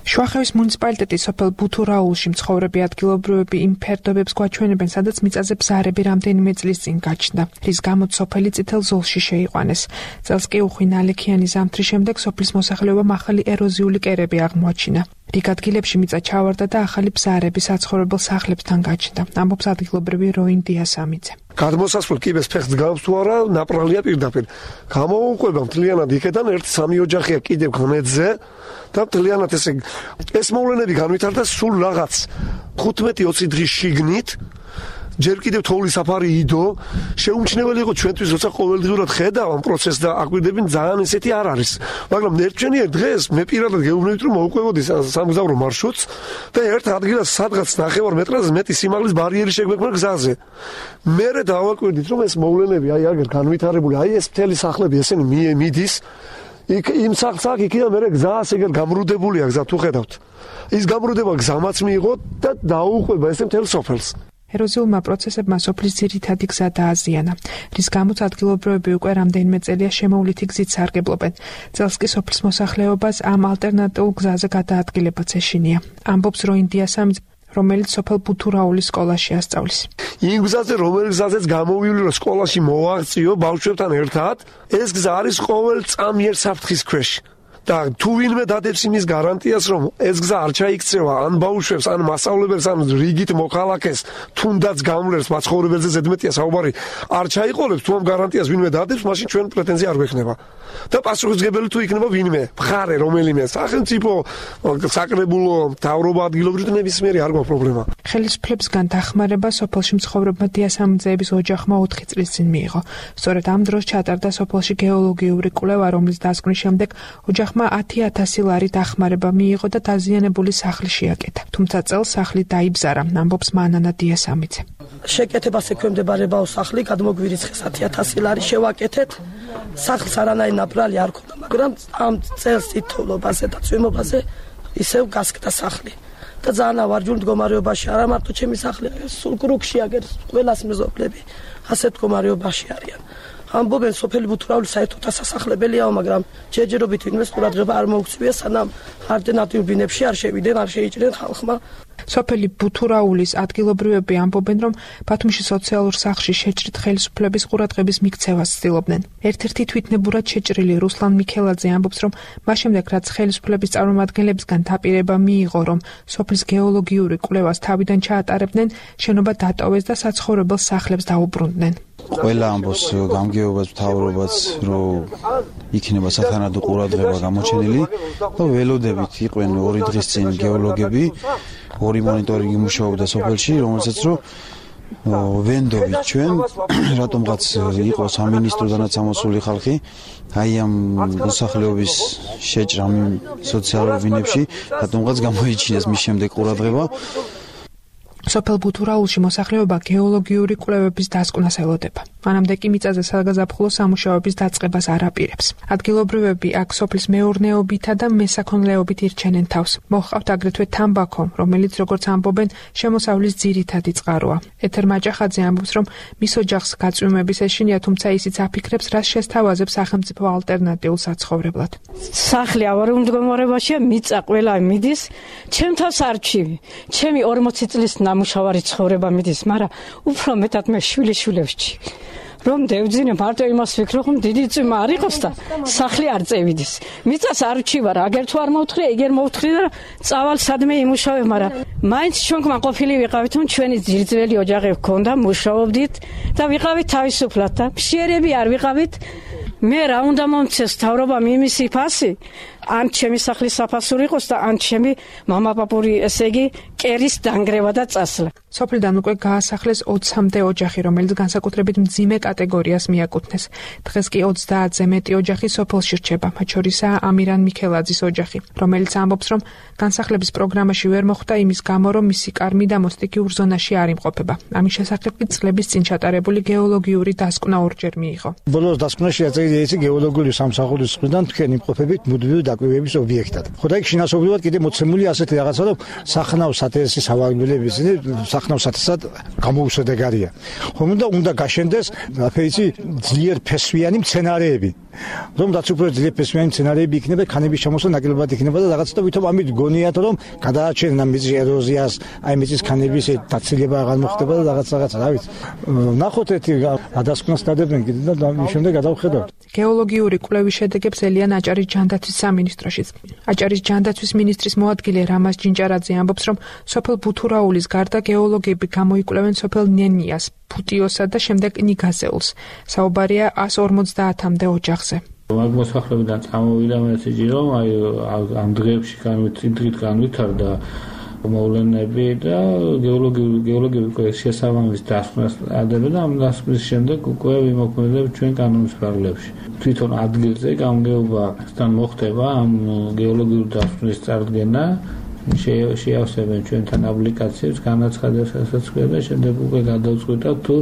შუახევის მუნიციპალიტეტის სოფელ ბუთურაულში მცხოვრები ადგილობრივები იმ ფერდობებს გვაჩვენებენ, სადაც მიწაზე ბზარები რამდენიმე წლის წინ გაჩნდა, რის გამოც სოფელი წითელ ზოლში შეიყვანეს. წელს კი უხვი ნალექიანი ზამთრის შემდეგ სოფლის მოსახლეობამ ახალი ეროზიული კერები აღმოაჩინა. რიგ ადგილებში მიწა ჩავარდა და ახალი ბზარები საცხოვრებელ სახლებთან გაჩნდა, ამბობს ადგილობრივი როინ დიასამიძე. გადმოსასვლელ კიბეს ფეხს გავს თუ არა, ნაპრალია პირდაპირ. გამოუყვება მთლიანად იქიდან ერთი სამი ოჯახია კიდევ ღმედზე და მთლიანად ესე ეს მოვლენები განვითარდა სულ რაღაც ხუთმეტი ოცი დღის შიგნით. ჯერ კიდევ თოვლის საფარი იდო, შეუმჩნეველი იყო ჩვენთვის, როცა ყოველდღიურად ხედავ ამ პროცესს და აკვირდები ძალიან ესეთი არ არის. მაგრამ ნერჩვენიერ დღეს მე პირადად გეუბნებით, რომ მოვუყვებოდი სამგზავრო მარშრუტს და ერთ ადგილას სადღაც ნახევარ მეტრაზე მეტი სიმაღლის ბარიერი შეგვექმნა გზაზე. მერე დავაკვირდით, რომ ეს მოვლენები აი აგერ განვითარებული, აი ეს მთელი სახლები ესენი მიდის. იქ იმ სახლს აქ იქიდან მერე გზას ეგერ გამრუდებულია გზა თუ ხედავთ. ის გამრუდება გზამაც მიიღო და დაუყვება ესე მთელ სოფელს. ეროზიულმა პროცესებმა სოფლის ძირითადი გზა დააზიანა, რის გამოც ადგილობრივები უკვე რამდენიმე წელია შემოვლითი გზით სარგებლობენ. წელს კი სოფლის მოსახლეობას ამ ალტერნატიულ გზაზე გადაადგილებაც ეშინია, ამბობს როინ დიასამიძე, რომელიც სოფელ ბუთურაულის სკოლაში ასწავლის. იმ გზაზე, რომელიც გზაზეც გამოვივლი, რომ სკოლაში მოვაღწიო ბავშვებთან ერთად, ეს გზა არის ყოველ წამიერ საფრთხის ქვეშ. და თუ ვინმე დადებს იმის გარანტიას, რომ ეს გზა არ ჩაიქცევა ან ბავშვებს, ან მასწავლებელს, ან რიგით მოქალაქეს, თუნდაც გამლერს მაცხოვრებელზე ზედმეტია საუბარი, არ ჩაიყოლებს, თუ ამ გარანტიას ვინმე დადებს, მაშინ ჩვენ პრეტენზია არ გვექნება. და პასუხისმგებელი თუ იქნება ვინმე, მხარე რომელიმე, სახელმწიფო, საკრებულო, მთავრობა, ადგილობრივი ნებისმიერი არ გვაქვს პრობლემა. ხელისუფლებისგან დახმარება სოფელში მცხოვრებმა დიასამძეების ოჯახმა ოთხი წლის წინ მიიღო. სწორედ ამ დროს ჩატარდა სოფელში გეოლოგიური კვლევა, რომლის დასკვნის შემდეგ ოჯახმა ათი ათასი ლარი დახმარება მიიღო და დაზიანებული სახლი შეაკეთა. თუმცა წელს სახლი დაიბზარა, ამბობს მანანა დიასამიძე. შეკეთებას ექვემდებარებაო სახლი, გადმოგვირიცხეს ათი ათასი ლარი შევაკეთეთ. სახლს არანაირი ნაპრალი არ ქონდა, მაგრამ ამ წელს თითოეულობაზე და წვიმობაზე ისევ გასკდა სახლი. და ძალიან ავარჯულ მდგომარეობაში არა მარტო ჩემი სახლი, სულ კრუკში აგერ ყველას მეზობლები ასეთ მდგომარეობაში არიან. ამბობენ სოფელი ბუთურაველი საერთოდ ასასახლებელიაო, მაგრამ ჯერჯერობით ვინმეს ყურადღება არ მოუქცევია, სანამ ალტერნატიულ ბინებში არ შევიდნენ, არ შეიჭრნენ ხალხმა. სოფელი ბუთურაულის ადგილობრივები ამბობენ, რომ ბათუმში სოციალურ სახლში შეჭრით ხელისუფლების ყურადღების მიქცევას ცდილობდნენ. ერთ-ერთი თვითნებურად შეჭრილი რუსლან მიქელაძე ამბობს, რომ მას შემდეგ რაც ხელისუფლების წარმომადგენლებისგან დაპირება მიიღო, რომ სოფლის გეოლოგიური კვლევას თავიდან ჩაატარებდნენ, შენობა დატოვეს და საცხოვრებელ სახლებს დაუბრუნდნენ. ყველა ამბობს გამგეობას მთავრობას, რომ იქნება სათანადო ყურადღება გამოჩენილი და ველოდებით იყვნენ ორი დღის წინ გეოლოგები, ორი მონიტორინგი მუშაობდა სოფელში, რომელსაც რომ ვენდობით ჩვენ რატომღაც იყო სამინისტროდანაც ამოსული ხალხი, აი ამ მოსახლეობის შეჭრა სოციალურ ბინებში რატომღაც გამოიჩინეს მის შემდეგ ყურადღება. სოფელ ბუთურაულში მოსახლეობა გეოლოგიური კვლევების დასკვნას ელოდება. მანამდე კი მიწაზე საგაზაფხულო სამუშაოების დაწყებას არ აპირებს. ადგილობრივები აქ სოფლის მეურნეობითა და მესაქონლეობით ირჩენენ თავს. მოჰყავთ აგრეთვე თამბაქო, რომელიც როგორც ამბობენ, შემოსავლის ძირითადი წყაროა. ეთერ მაჭახაძე ამბობს, რომ მის ოჯახს გაწვიმების ეშინია, თუმცა ისიც აფიქრებს, რას შესთავაზებს სახელმწიფო ალტერნატიულ საცხოვრებლად. სახლი ავარიულ მდგომარეობაშია, მიწა ყველა მიდის, ჩემ თავს არჩივი. ჩემი ორმოცი წლის მუშავარი ცხოვრება მიდის, მაგრამ უფრო მეტად მე შვილიშვილებში რომ დევძინე მარტო იმას ვფიქრობ, რომ დიდი წვიმა არ იყოს და სახლი არ წევიდეს. მიწას არ ვჩივარ, აგერ თუ არ მოვთხრია, იგერ მოვთხრია და წავალ სადმე იმუშავებ, მაგრამ მაინც ჩვენკმა ყოფილი ვიყავით, რომ ჩვენი ძირძველი ოჯახი გქონდა, მუშაობდით და ვიყავით თავისუფლად და მშიერები არ ვიყავით. მე რა უნდა მომცეს თავრობამ იმისი ფასი, ან ჩემი სახლის საფასური იყოს და ან ჩემი მამაპაპური, ესე იგი, კერის დანგრევა და წასვლა. სოფლიდან უკვე გაასახლეს ოცამდე ოჯახი, რომელიც განსაკუთრებით მძიმე კატეგორიას მიაკუთვნეს. დღეს კი ოცდაათზე მეტი ოჯახი სოფელში რჩება, მათ შორისაა ამირან მიქელაძის ოჯახი, რომელიც ამბობს, რომ განსახლების პროგრამაში ვერ მოხვდა იმის გამო, რომ მისი კარმი და მოსტიკიურ ზონაში არ იმყოფება. ამის შესახებ კი წლების წინ ჩატარებული გეოლოგიური დასკვნა ორჯერ მიიღო. ბოლოს დასკვნაში აწერილია ის გეოლოგიური სამსახურის მხრიდან თქვენ იმყოფებით მუდმივი დაკვირვების ობიექტად. ხო და იქ შინასობრულად კიდე მოცემული ასეთი რაღაცა, რომ სახნავს ათესის ავანგულების სახნავს ათესად გამოუსადეგარია. ხომ და უნდა გაშენდეს აფეიცი ძლიერ ფესვიანი მცენარეები. რომ რაც უფრო ძლიერ ფესვიანი მცენარეები იქნება, ქანების ჩამოსვლა ნაკლებად იქნება და რაღაც და ვითომ ამით გონიათ, რომ გადააჩენენ ამ მიწის ეროზიას, აი მიწის ქანების დაცილება აღარ მოხდება და რაღაც რაღაც, რა ვიცი. ნახოთ ერთი გადასკვნას დადებენ კიდე და მის შემდეგ გადავხედავთ. გეოლოგიური კვლევის შედეგებს ელიან აჭარის ჯანდაცვის სამინისტროშიც. აჭარის ჯანდაცვის მინისტრის მოადგილე რამაზ ჯინჭარაძე ამბობს, რომ სოფელ ბუთურაულის გარდა გეოლოგები გამოიკვლევენ სოფელ ნენიას, ფუტიოსა და შემდეგ ნიგაზეულს. საუბარია εκατს ორმოცდაათამდე ოჯახზე. მაგ მოსახლებიდან წამოვიდა მესიჯი, რომ აი ამ დღეებში განვითარდა განვითარდა მოვლენები და გეოლოგიური გეოლოგიური შესაბამის დასკვნას ადებენ და ამ დასკვნის შემდეგ უკვე ვიმოქმედებთ ჩვენ კანონის პარალელში. თვითონ ადგილზე გამგეობასთან მოხდება ამ გეოლოგიური დასკვნის წარდგენა, შეავსებენ ჩვენთან აპლიკაციებს, განაცხადებასაც და შემდეგ უკვე გადავწყვიტავთ თუ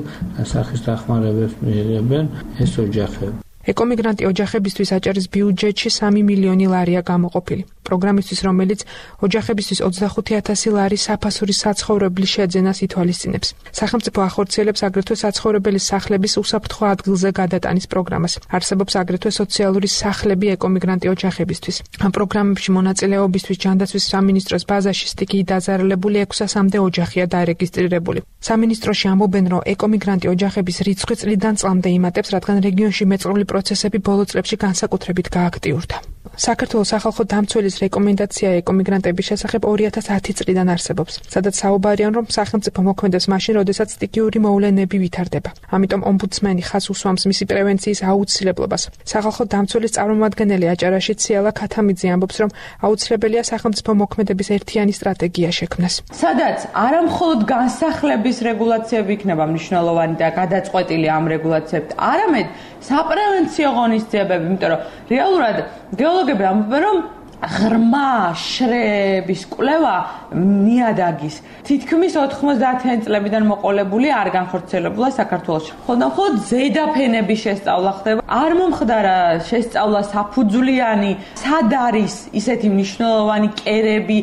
სახის დახმარებებს მიიღებენ ეს ოჯახები. ეკომიგრანტი ოჯახებისთვის აჭარის ბიუჯეტში სამი მილიონი ლარია გამოყოფილი. პროგრამისთვის, რომელიც ოჯახებისთვის ოცდახუთი ათასი ლარის საფასური საცხოვრებლის შეძენას ითვალისწინებს. სახელმწიფო ახორციელებს აგრეთვე საცხოვრებელი სახლების უსაფრთხო ადგილზე გადატანის პროგრამას. არსებობს აგრეთვე სოციალური სახლები ეკომიგრანტი ოჯახებისთვის. ამ პროგრამებში მონაწილეობისთვის ჯანდაცვის სამინისტროს ბაზაში სტიქიით დაზარალებული ექვსასამდე ოჯახია დარეგისტრირებული. სამინისტროში ამბობენ, რომ ეკომიგრანტი ოჯახების რიცხვი წლიდან წლამდე იმატებს, რადგან რეგიონში მეწყრული პროცესები ბოლო წლებში განსაკუთრებით გააქტიურდა. საქართველოს სახალხო დამცველის რეკომენდაცია ეკომიგრანტების შესახებ ორი ათას ათი წლიდან არსებობს, სადაც საუბარიან, რომ სახელმწიფო მოქმედებს მაშინ, როდესაც სტიქიური მოვლენები ვითარდება. ამიტომ ომბუდსმენი ხაზს უსვამს მისი პრევენციის აუცილებლობას. სახალხო დამცველის წარმომადგენელი აჭარაში ციალა ქათამიძე ამბობს, რომ აუცილებელია სახელმწიფო მოქმედების ერთიანი სტრატეგია შექმნას. სადაც არა მხოლოდ განსახლების რეგულაციები იქნება მნიშვნელოვანი და გადაწყვეტილი ამ რეგულაციებით, არამედ საპრევენციო ღონისძიებები, იმიტომ რომ რეალურად გეოლოგები ამბობენ, რომ ღრმა შრეების კვლევა ნიადაგის თითქმის ოთხმოცდაათიანი წლებიდან მოყოლებული არ განხორციელებულა საქართველოში. მხოლოდ მხოლოდ ზედაფენების შესწავლა ხდება. არ მომხდარა შესწავლა საფუძვლიანი, სად არის ისეთი მნიშვნელოვანი კერები,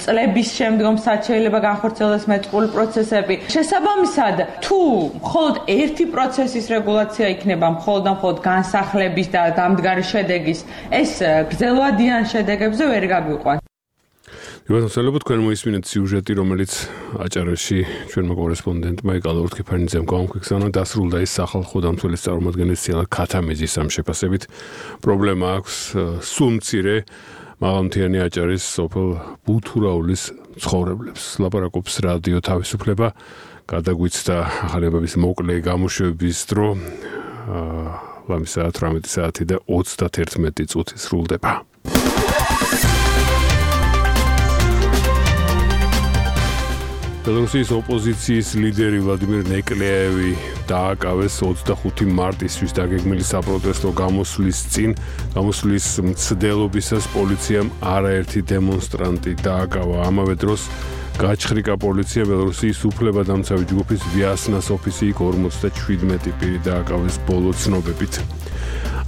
წლების შემდგომ სად შეიძლება განხორციელდეს მეწყრული პროცესები. შესაბამისად, თუ მხოლოდ ერთი პროცესის რეგულაცია იქნება, მხოლოდ მხოლოდ განსახლების და დამდგარი შედეგის, ეს გრძელვადიან შედეგებს ზე ვერ გაგვიყვან. ვიბათმოцелебო თქვენ მოისმინეთ სიუჟეტი, რომელიც აჭარაში ჩვენმა კორესპონდენტმა ეკალე ორთქიფანიძემ გამოგხსნა, დასრულდა ის სახალხო დამცველის წარმომადგენლის ციალა ქათამიძის ამ შეფასებით. პრობლემა აქვს სულ მცირე მაღალმთიანი აჭარის სოფელ ბუთურაულის ცხოვრებლებს. ლაპარაკობს რადიო თავისუფლება, გადაგვიცდა ახალების მოკლე გამოშვების დრო. ლამის საათ ათვრამეტი საათი და ოცდაათერთმეტი წუთი სრულდება. ბელორუსიის ოპოზიციის ლიდერი ვლადიმირ ნეკლეევი დააკავეს ოცდახუთი მარტისთვის დაგეგმილი საპროტესტო გამოსვლის წინ. გამოსვლის მცდელობისას პოლიციამ არაერთი დემონსტრანტი დააკავა. ამავე დროს გაჩხრიკა პოლიცია ბელორუსიის უფლებადამცავი ჯგუფის ვიასნას ოფისი იქ ორმოცდაჩვიდმეტი პირი დააკავეს ბოლო ცნობებით.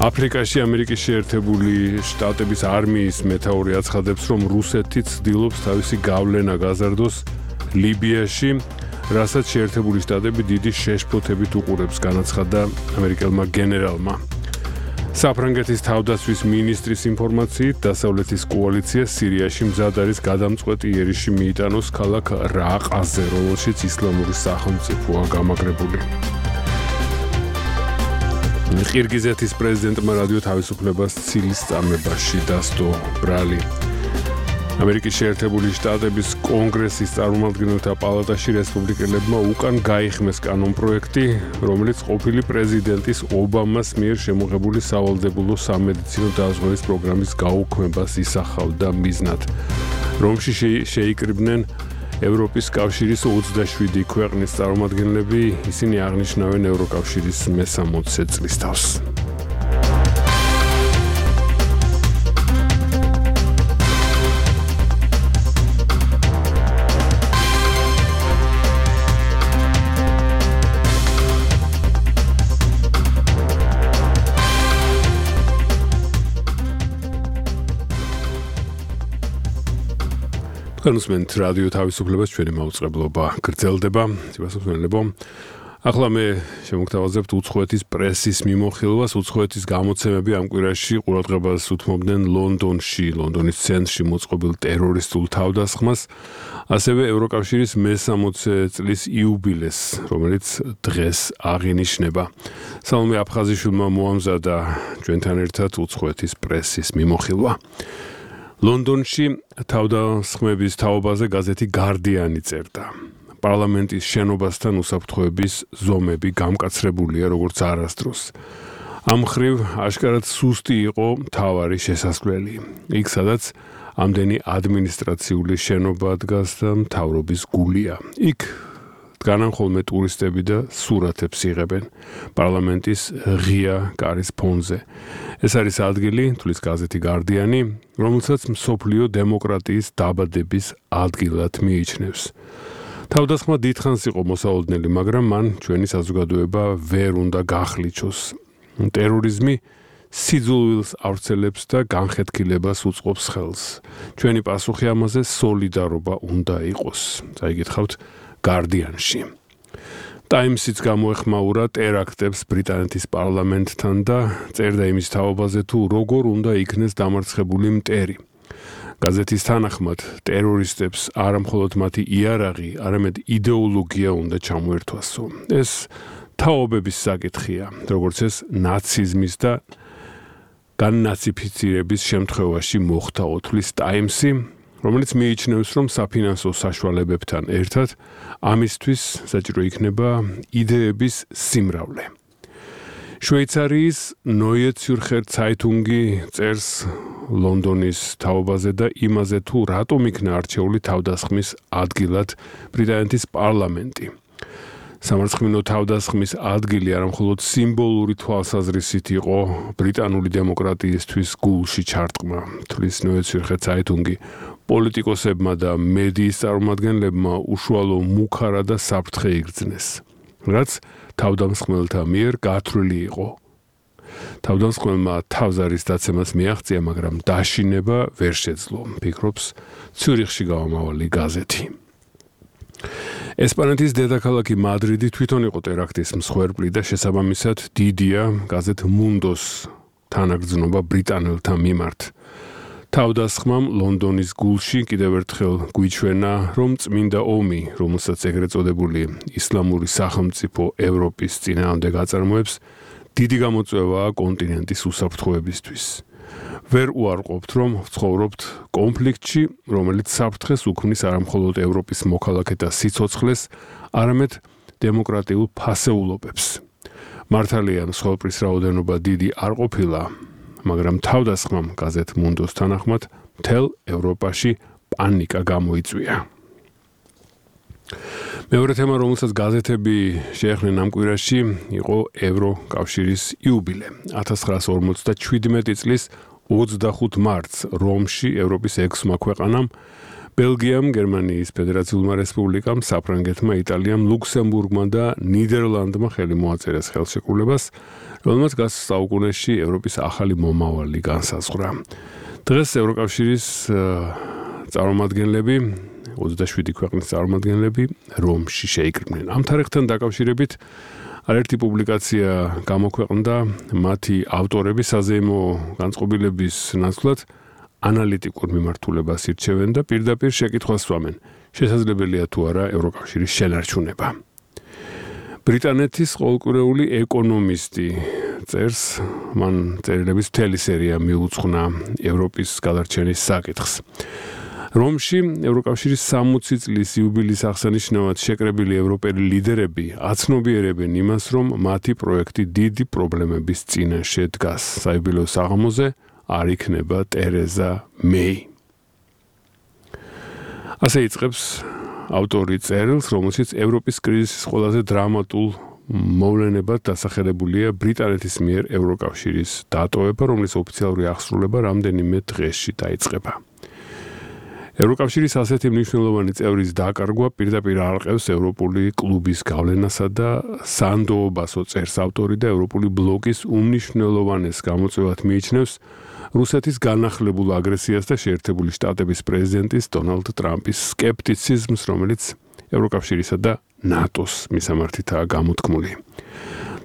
აფრიკაში ამერიკის შეერთებული შტატების არმიის მეთაური აცხადებს, რომ რუსეთი ცდილობს თავისი გავლენა გაზარდოს ლიბიაში, რასაც შეერთებული შტატები დიდი შეშფოთებით უყურებს, განაცხადა ამერიკელმა გენერალმა. საფრანგეთის თავდაცვის მინისტრის ინფორმაციით, დასავლეთის კოალიცია სირიაში მზად არის გადამწყვეტი იერიში მიიტანოს ქალაქ რაყაზე, რომელშიც ისლამური სახელმწიფოა გამაგრებული. ყირგიზეთის პრეზიდენტმა რადიო თავისუფლებას ცილის წამებაში დასდო ბრალი. ამერიკის შეერთებული შტატების კონგრესის წარმომადგენელთა პალატაში რესპუბლიკელებმა უკან გაიხმეს კანონპროექტი, რომელიც ყოფილი პრეზიდენტის ობამას მიერ შემოღებული სავალდებულო სამედიცინო დაზღვევის პროგრამის გაუქმებას ისახავდა მიზნად. რომში შეიკრიბნენ ევროპის კავშირის ოცდაშვიდი ქვეყნის წარმომადგენლები, ისინი აღნიშნავენ ევროკავშირის მესამოცდე წლის თავს. განსმენთ რადიო თავისუფლებას ჩვენი მაუწყებლობა გრძელდება. სიბასოფნელებო, ახლა მე შემოგთავაზებთ უცხოეთის პრესის მიმოხილვას. უცხოეთის გამოცემები ამ კვირაში ყურადღებას უთმობდნენ ლონდონში, ლონდონის ცენტრში მოწყობილ ტერორისტულ თავდასხმას, ასევე ევროკავშირის მესამოცდე წლის იუბილეს, რომელიც დღეს აღინიშნება. სალომე აფხაზიშვილმა მოამზადა ჩვენთან ერთად უცხოეთის პრესის მიმოხილვა. ლონდონში თავდასხმების თაობაზე გაზეთი გარდიანი წერდა. პარლამენტის შენობასთან უსაფრთხოების ზომები გამკაცრებულია როგორც არასდროს. ამ მხრივ აშკარად სუსტი იყო მთავარი შესასვლელი. იქ სადაც ამდენი ადმინისტრაციული შენობა დგას და მთავრობის გულია. იქ დგანან ხოლმე ტურისტები და სურათებს იღებენ პარლამენტის ღია კარის ფონზე. ეს არის ადგილი, თulis გაზეთი გარდიანი, რომელსაც მსოფლიო დემოკრატიის დაბადების ადგილად მიიჩნევს. თავდასხმა დიდხანს იყო მოსაოდნელი, მაგრამ მან ჩვენი საზოგადოება ვერ უნდა გახლიჩოს. ტერორიზმი სიძულვილს ავრცელებს და განხეთქილებას უწყობს ხელს. ჩვენი პასუხი ამაზე სოლიდარობა უნდა იყოს. წაიგითხავთ Guardian-ში. Times-იც გამოეხმაურა ტერაქტებს ბრიტანეთის პარლამენტთან და წერდა იმის თაობაზე თუ როგორ უნდა იქნეს დამარცხებული მტერი. გაზეთის თანახმად ტერორისტებს არა მხოლოდ მათი იარაღი, არამედ იდეოლოგია უნდა ჩამოერთვასო. ეს თაობების საკითხია, როგორც ეს ნაციზმის და განნაციფიცირების შემთხვევაში მოხდა ოთვლის Times-ი, რომელიც მიიჩნევს, რომ საფინანსო საშუალებებთან ერთად ამისთვის საჭირო იქნება იდეების სიმრავლე. შვეიცარიის Neue Zürcher Zeitung-ი წერს ლონდონის თაობაზე და იმაზე თუ რატომ იქნა არჩეული თავდასხმის ადგილად ბრიტანეთის პარლამენტი. სამარცხინო თავდასხმის ადგილი არა მხოლოდ სიმბოლური თვალსაზრისით იყო ბრიტანული დემოკრატიისთვის გულში ჩარტყმა, თვლის Neue Zürcher Zeitung-ი პოლიტიკოსებმა და მედიის წარმომადგენლებმა უშუალო მუქარა და საფრთხე იგრძნეს, რაც თავდამსხმელთა მიერ გათვლილი იყო. თავდამსხმელმა თავზარის დაცემას მიაღწია, მაგრამ დაშინება ვერ შეძლო, ფიქრობს ციურიხში გამომავალი გაზეთი. ესპანეთის დედაქალაქი მადრიდი თვითონ იყო ტერაქტის მსხვერპლი და შესაბამისად დიდია გაზეთ Mundos თანაგრძნობა ბრიტანელთა მიმართ. თავდასხმამ ლონდონის გულში კიდევ ერთხელ გვიჩვენა, რომ წმინდა ომი, რომელსაც ეგრეთ წოდებული ისლამური სახელმწიფო ევროპის წინააღმდეგ აწარმოებს, დიდი გამოწვევაა კონტინენტის უსაფრთხოებისთვის. ვერ უარყოფთ, რომ ვცხოვრობთ კონფლიქტში, რომელიც საფრთხეს უქმნის არა მხოლოდ ევროპის მოქალაქეთა სიცოცხლეს, არამედ დემოკრატიულ ფასეულობებს. მართალია, მსხვერპლის რაოდენობა დიდი არ ყოფილა, მაგრამ თავდასხმამ გაზეთ Mundos თანახმად მთელ ევროპაში პანიკა გამოიწვია. მეორე თემა, რომელსაც გაზეთები შეეხნენ ამ კვირაში, იყო ევროკავშირის იუბილე. ათას ცხრაასა ორმოცდაჩვიდმეტი წლის ოცდახუთ მარტს რომში ევროპის ექვსმა ქვეყანამ, ბელგიამ, გერმანიის ფედერაციულმა რესპუბლიკამ, საფრანგეთმა, იტალიამ, ლუქსემბურგმა და ნიდერლანდმა ხელი მოაწერეს ხელშეკრულებას, რომელმაც გას საუკუნეში ევროპის ახალი მომავალი განსაზღვრა. დღეს ევროკავშირის წარმომადგენლები, ოცდაშვიდი ქვეყნის წარმომადგენლები რომში შეიკრიბნენ. ამ თარიღთან დაკავშირებით არაერთი პუბლიკაცია გამოქვეყნდა მათი ავტორები საზეიმო განწყობილების ნაცვლად ანალიტიკურ მიმართულებას ირჩევენ და პირდაპირ შეკითხვას სვამენ, შესაძლებელია თუ არა ევროკავშირის შენარჩუნება. ბრიტანეთის ყოველკვირეული ეკონომისტი წერს, მან წერილების მთელი სერია მიუძღვნა ევროპის გადარჩენის საკითხს. რომში ევროკავშირის სამოცი წლის იუბილის აღსანიშნავად შეკრებილი ევროპელი ლიდერები აცნობიერებენ იმას, რომ მათი პროექტი დიდი პრობლემების წინაშე დგას. საიუბილეო საღამოზე არ იქნება ტერეზა მეი. ასე იწყებს ავტორი წერილს, რომელშიც ევროპის კრიზისის ყველაზე დრამატულ მოვლენებად დასახელებულია ბრიტანეთის მიერ ევროკავშირის დატოვება, რომლის ოფიციალური აღსრულება რამდენიმე დღეში დაიწყება. ევროკავშირის ასეთი მნიშვნელოვანი წევრის დაკარგვა პირდაპირ არყევს ევროპული კლუბის გავლენასა და სანდოობასო წერს ავტორი და ევროპული ბლოკის უმნიშვნელოვანეს გამოწვევად მიიჩნევს რუსეთის განახლებულ აგრესიას და შეერთებული შტატების პრეზიდენტის დონალდ ტრამპის სკეპტიციზმს, რომელიც ევროკავშირისა და ნატოს მისამართითაა გამოთქმული.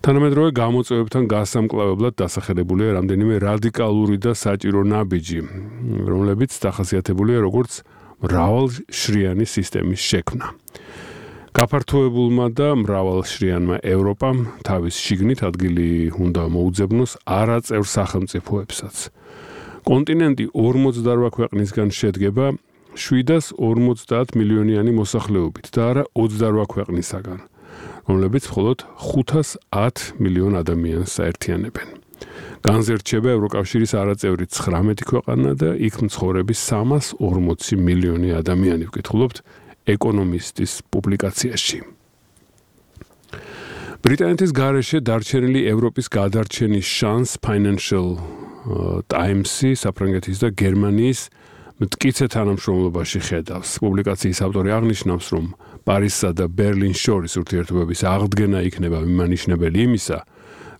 თანამედროვე გამოწვევებთან გასამკლავებლად დასახელებულია რამდენიმე რადიკალური და საჭირო ნაბიჯი, რომლებიც დახასიათებულია როგორც მრავალშრიანი სისტემის შექმნა. გაფართოებულმა და მრავალშრიანმა ევროპამ თავის შიგნით ადგილი უნდა მოუძებნოს არაწევრ სახელმწიფოებსაც. კონტინენტი ორმოცდაორ ქვეყნისგან შედგება შვიდას ორმოცდაათ მილიონიანი მოსახლეობით და არა ოცდაორ ქვეყნისაგან, რომლებიც მხოლოდ ხუთას ათ მილიონ ადამიანს აერთიანებენ. განზე რჩება ევროკავშირის არაწევრი ცხრამეტი ქვეყანა და იქ მცხოვრები სამას ორმოცი მილიონი ადამიანი, ვკითხულობთ ეკონომისტის პუბლიკაციაში. ბრიტანეთის გარეშე დარჩენილი ევროპის გადარჩენის შანს Financial Times-ი საფრანგეთის და გერმანიის მტკიცე თანამშრომლობაში ხედავს. პუბლიკაციის ავტორი აღნიშნავს, რომ პარიზსა და ბერლინს შორის ურთიერთობების აღდგენა იქნება მიმანიშნებელი იმისა,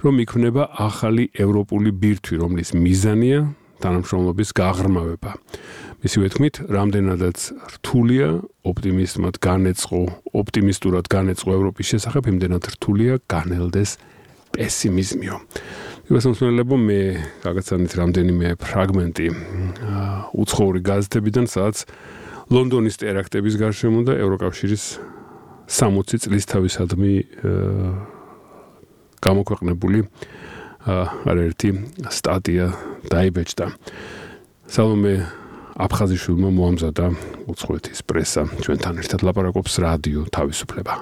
რომ იქმნება ახალი ევროპული ბირთვი, რომლის მიზანია თანამშრომლობის გაღრმავება. მისივე თქმით, რამდენადაც რთულია ოპტიმიზმად განეწყო, ოპტიმისტურად განეწყო ევროპის შესახებ, იმდენად რთულია განელდეს პესიმიზმიო. მოგესალმებო, მე გაგაცანით რამდენიმე ფრაგმენტი უცხოური გაზეთებიდან, სადაც ლონდონის ტერაქტების გარშემო და ევროკავშირის სამოცი წლის თავისადმი გამოქვეყნებული არაერთი სტატია დაიბეჭდა. სალომე აფხაზიშვილმა მოამზადა უცხოეთის პრესა. ჩვენთან ერთად ლაპარაკობს რადიო თავისუფლება.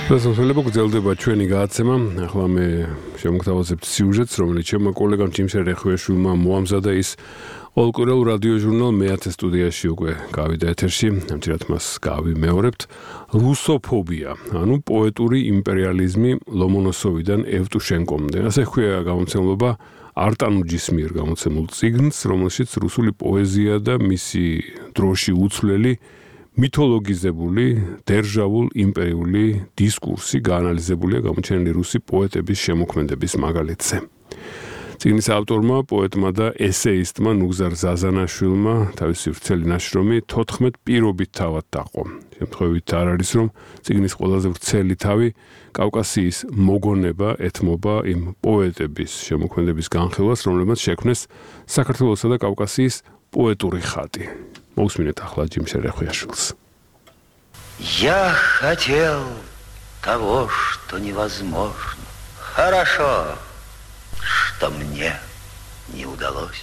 დასასრულებლად გრძელდება ჩვენი გადაცემა. ახლა მე შემოგთავაზებთ სიუჟეტს, რომელიც ჩემმა კოლეგამ ჯიმშე რეხვეშვილმა მოამზადა. ის ოლკურელ რადიო ჟურნალ მეათე სტუდიაში უკვე გავიდა ეთერში. ამჯერად მას გავიმეორებთ. რუსოფობია, ანუ პოეტური იმპერიალიზმი ლომონოსოვიდან ევტუშენკომდე. ასე ჰქვია გამომცემლობა არტანუჯის მიერ გამოცემულ წიგნს, რომელშიც რუსული პოეზია და მისი დროში უცვლელი მითოლოგიზებული, დერჟავულ იმპერიული დისკურსი გაანალიზებულია გამოჩენილი რუსი პოეტების შემოქმედების მაგალითზე. წიგნის ავტორმა, პოეტმა და ესეისტმა ნუგზარ ზაზანაშვილმა თავისი ვრცელი ნაშრომი თოთხმეტ პირობით თავად დაყო. შემთხვევით არ არის, რომ წიგნის ყველაზე ვრცელი თავი კავკასიის მოგონება ეთმობა იმ პოეტების შემოქმედების განხილვას, რომლებმაც შექმნეს საქართველოსა და კავკასიის პოეტური ხატი. Моусминет ახლა ჯიმშე რეხვეაშვილს. Я хотел того, что невозможно. Хорошо, что мне не удалось.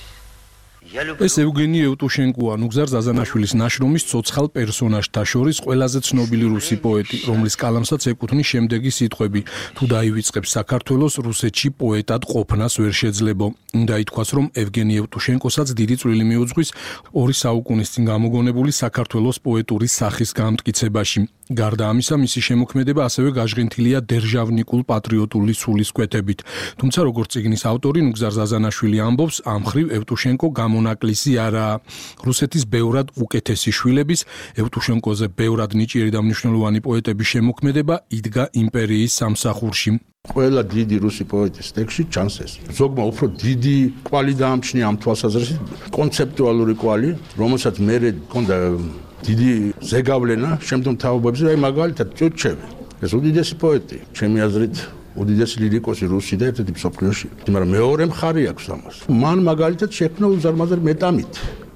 ეს ევგენი ევტუშენკოა, ნუგზარ ზაზანაშვილის ნაშრომის ცოცხალ პერსონაჟთა შორის ყველაზე ცნობილი რუსი პოეტი, რომლის კალამსაც ეკუთვნის შემდეგი სიტყვები: თუ დაივიწყებს საქართველოს, რუსეთში პოეტად ყოფნას ვერ შეძლებო. უნდა ითქვას, რომ ევგენი ევტუშენკოსაც დიდი წვლილი მიუძღვის ორი საუკუნის წინ გამოგონებული საქართველოს პოეტური სახის გამტკიცებაში. გარდა ამისა, მისი შემოქმედება ასევე გაჟღენთილია დერჟავნიკულ პატრიოტული სულისკვეთებით. თუმცა, როგორც წიგნის ავტორი ნუგზარ ზაზანაშვილი ამბობს, ამ მხრივ ევტუშენკო გამონაკლისი არაა. რუსეთის ბევრად უკეთესი შვილების, ევტუშენკოზე ბევრად ნიჭიერი და მნიშვნელოვანი პოეტების შემოქმედება იდგა იმპერიის სამსახურში. ყველა დიდი რუსი პოეტის ტექსტში ჩანს ეს. ზოგმა უფრო დიდი კვალი დაამჩნია ამ თვალსაზრისით, კონცეპტუალური კვალი, რომელსაც მე მქონდა დიდი ზეგავლენა შემდგომ თაობებზე, აი მაგალითად ჭურჩევი. ეს უდიდესი პოეტი, ჩემი აზრით, უდიდესი ლირიკოსი რუსი და ერთ-ერთი მსოფლიოში. მაგრამ მეორე მხარე აქვს ამას. მან მაგალითად შექმნა უზარმაზარ მეტამით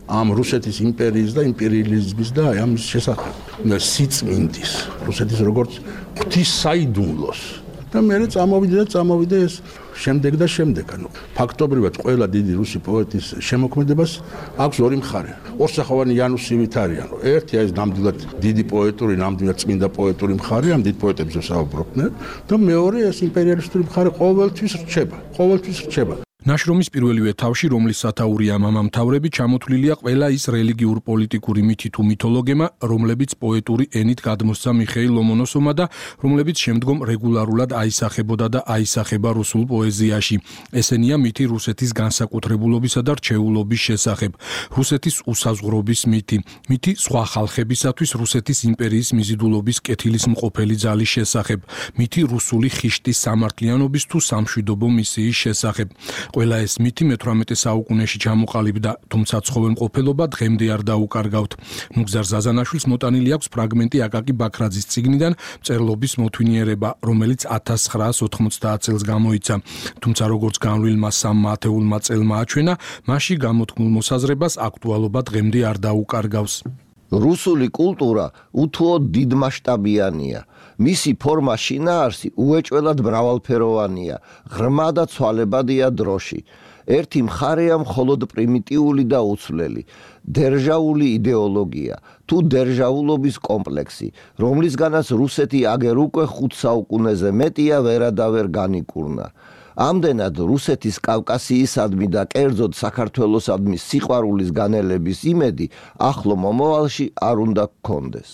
ამ რუსეთის იმპერიის და იმპერიალიზმის და აი ამის შესახებ. სიწმინდის, რუსეთის როგორც ღვთის საიდუმლოს. და მე წამოვიდა და წამოვიდა ეს შემდეგ და შემდეგ. ანუ ფაქტობრივად ყველა დიდი რუსი პოეტის შემოქმედებას აქვს ორი მხარე. ორსახოვანი იანუსივით არის, ანუ ერთი არის ნამდვილად დიდი პოეტური, ნამდვილად წმინდა პოეტური მხარე, ამ დიდ პოეტებზე საუბრობდნენ და მეორე ეს იმპერიალისტური მხარე ყოველთვის რჩება, ყოველთვის რჩება. ნაშრომის პირველივე თავში, რომლის სათაურია მამამთავრები, ჩამოთვლილია ყველა ის რელიგიურ-პოლიტიკური მითი თუ მითოლოგემა, რომლებიც პოეტური ენით გადმოსცა მიხეილ ლომონოსოვმა და რომლებიც შემდგომ რეგულარულად აისახებოდა და აისახება რუსულ პოეზიაში. ესენია მითი რუსეთის განსაკუთრებულობისა და რჩეულობის შესახებ, რუსეთის უსაზღვრობის მითი, მითი სხვა ხალხებისათვის რუსეთის იმპერიის მიზიდულობის კეთილის მყოფელი ძალის შესახებ, მითი რუსული ხიშტის სამართლიანობის თუ სამშვიდობო მისიის შესახებ. ყველა ეს მითი მეთვრამეტე საუკუნეში ჩამოყალიბდა, თუმცა ცხოველმყოფელობა დღემდე არ დაუკარგავთ. ნუგზარ ზაზანაშვილს მოტანილი აქვს ფრაგმენტი აკაკი ბაქრაძის წიგნიდან მწერლობის მოთვინიერება, რომელიც ათას ცხრაას ოთხმოცდაათ წელს გამოიცა. თუმცა როგორც განვლილმა სამმა ათეულმა წელმა აჩვენა, მასში გამოთქმულ მოსაზრებას აქტუალობა დღემდე არ დაუკარგავს. რუსული კულტურა უთუოდ დიდმასშტაბიანია. მისი ფორმა შინაარსი უეჭველად მრავალფეროვანია, ღრმა და ცვალებადია დროში. ერთი მხარეა მხოლოდ პრიმიტიული და უცვლელი, დერჟაული იდეოლოგია, თუ დერჟაულობის კომპლექსი, რომლისგანაც რუსეთი აგერ უკვე ხუთ საუკუნეზე მეტია ვერადავერ განიკურნა. ამდენად რუსეთის კავკასიისადმი და კერძოდ საქართველოსადმი სიყვარულის განელების იმედი ახლო მომავალში არ უნდა გქონდეს.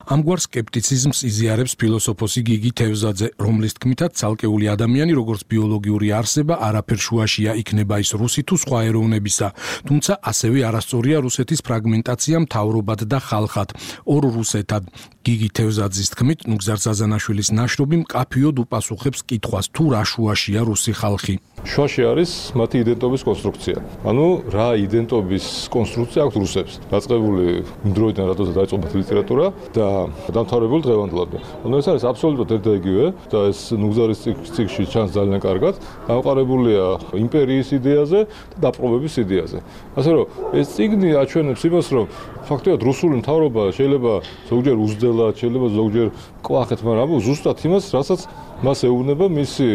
ამგვარ სკეპტიციზმს იზიარებს ფილოსოფოსი გიგი თევზაძე, რომლის თქმითაც ცალკეული ადამიანი როგორც ბიოლოგიური არსება არაფერ შუაშია, იქნება ის რუსი თუ სხვა ეროვნებისა, თუმცა ასევე არასწორია რუსეთის ფრაგმენტაცია მთავრობად და ხალხად, ორ რუსეთად. გიგი თევზაძის თქმით, ნუგზარ ზაზანაშვილის ნაშრომი მკაფიოდ უპასუხებს კითხვას, თუ რა შუაშია რუსი ხალხი. შუაში არის მათი იდენტობის კონსტრუქცია. ანუ რა იდენტობის კონსტრუქცია აქვს რუსებს, დაწყებული იმ დროიდან, როდესაც დაიწყო მათი ლიტერატურა და დამთავრებული დღევანდლამდე. ანუ ეს არის აბსოლუტურად ერთ და იგივე და ეს ნუგზარის ციკლში ჩანს ძალიან კარგად, დამყარებულია იმპერიის იდეაზე და დაპყრობების იდეაზე. ასე რომ ეს წიგნი აჩვენებს იმას, რომ ფაქტობრივად რუსული მთავრობა შეიძლება ზოგჯერ უზრდელად, შეიძლება ზოგჯერ კვახეთ, მაგრამ ზუსტად იმას, რასაც მას ეუბნება მისი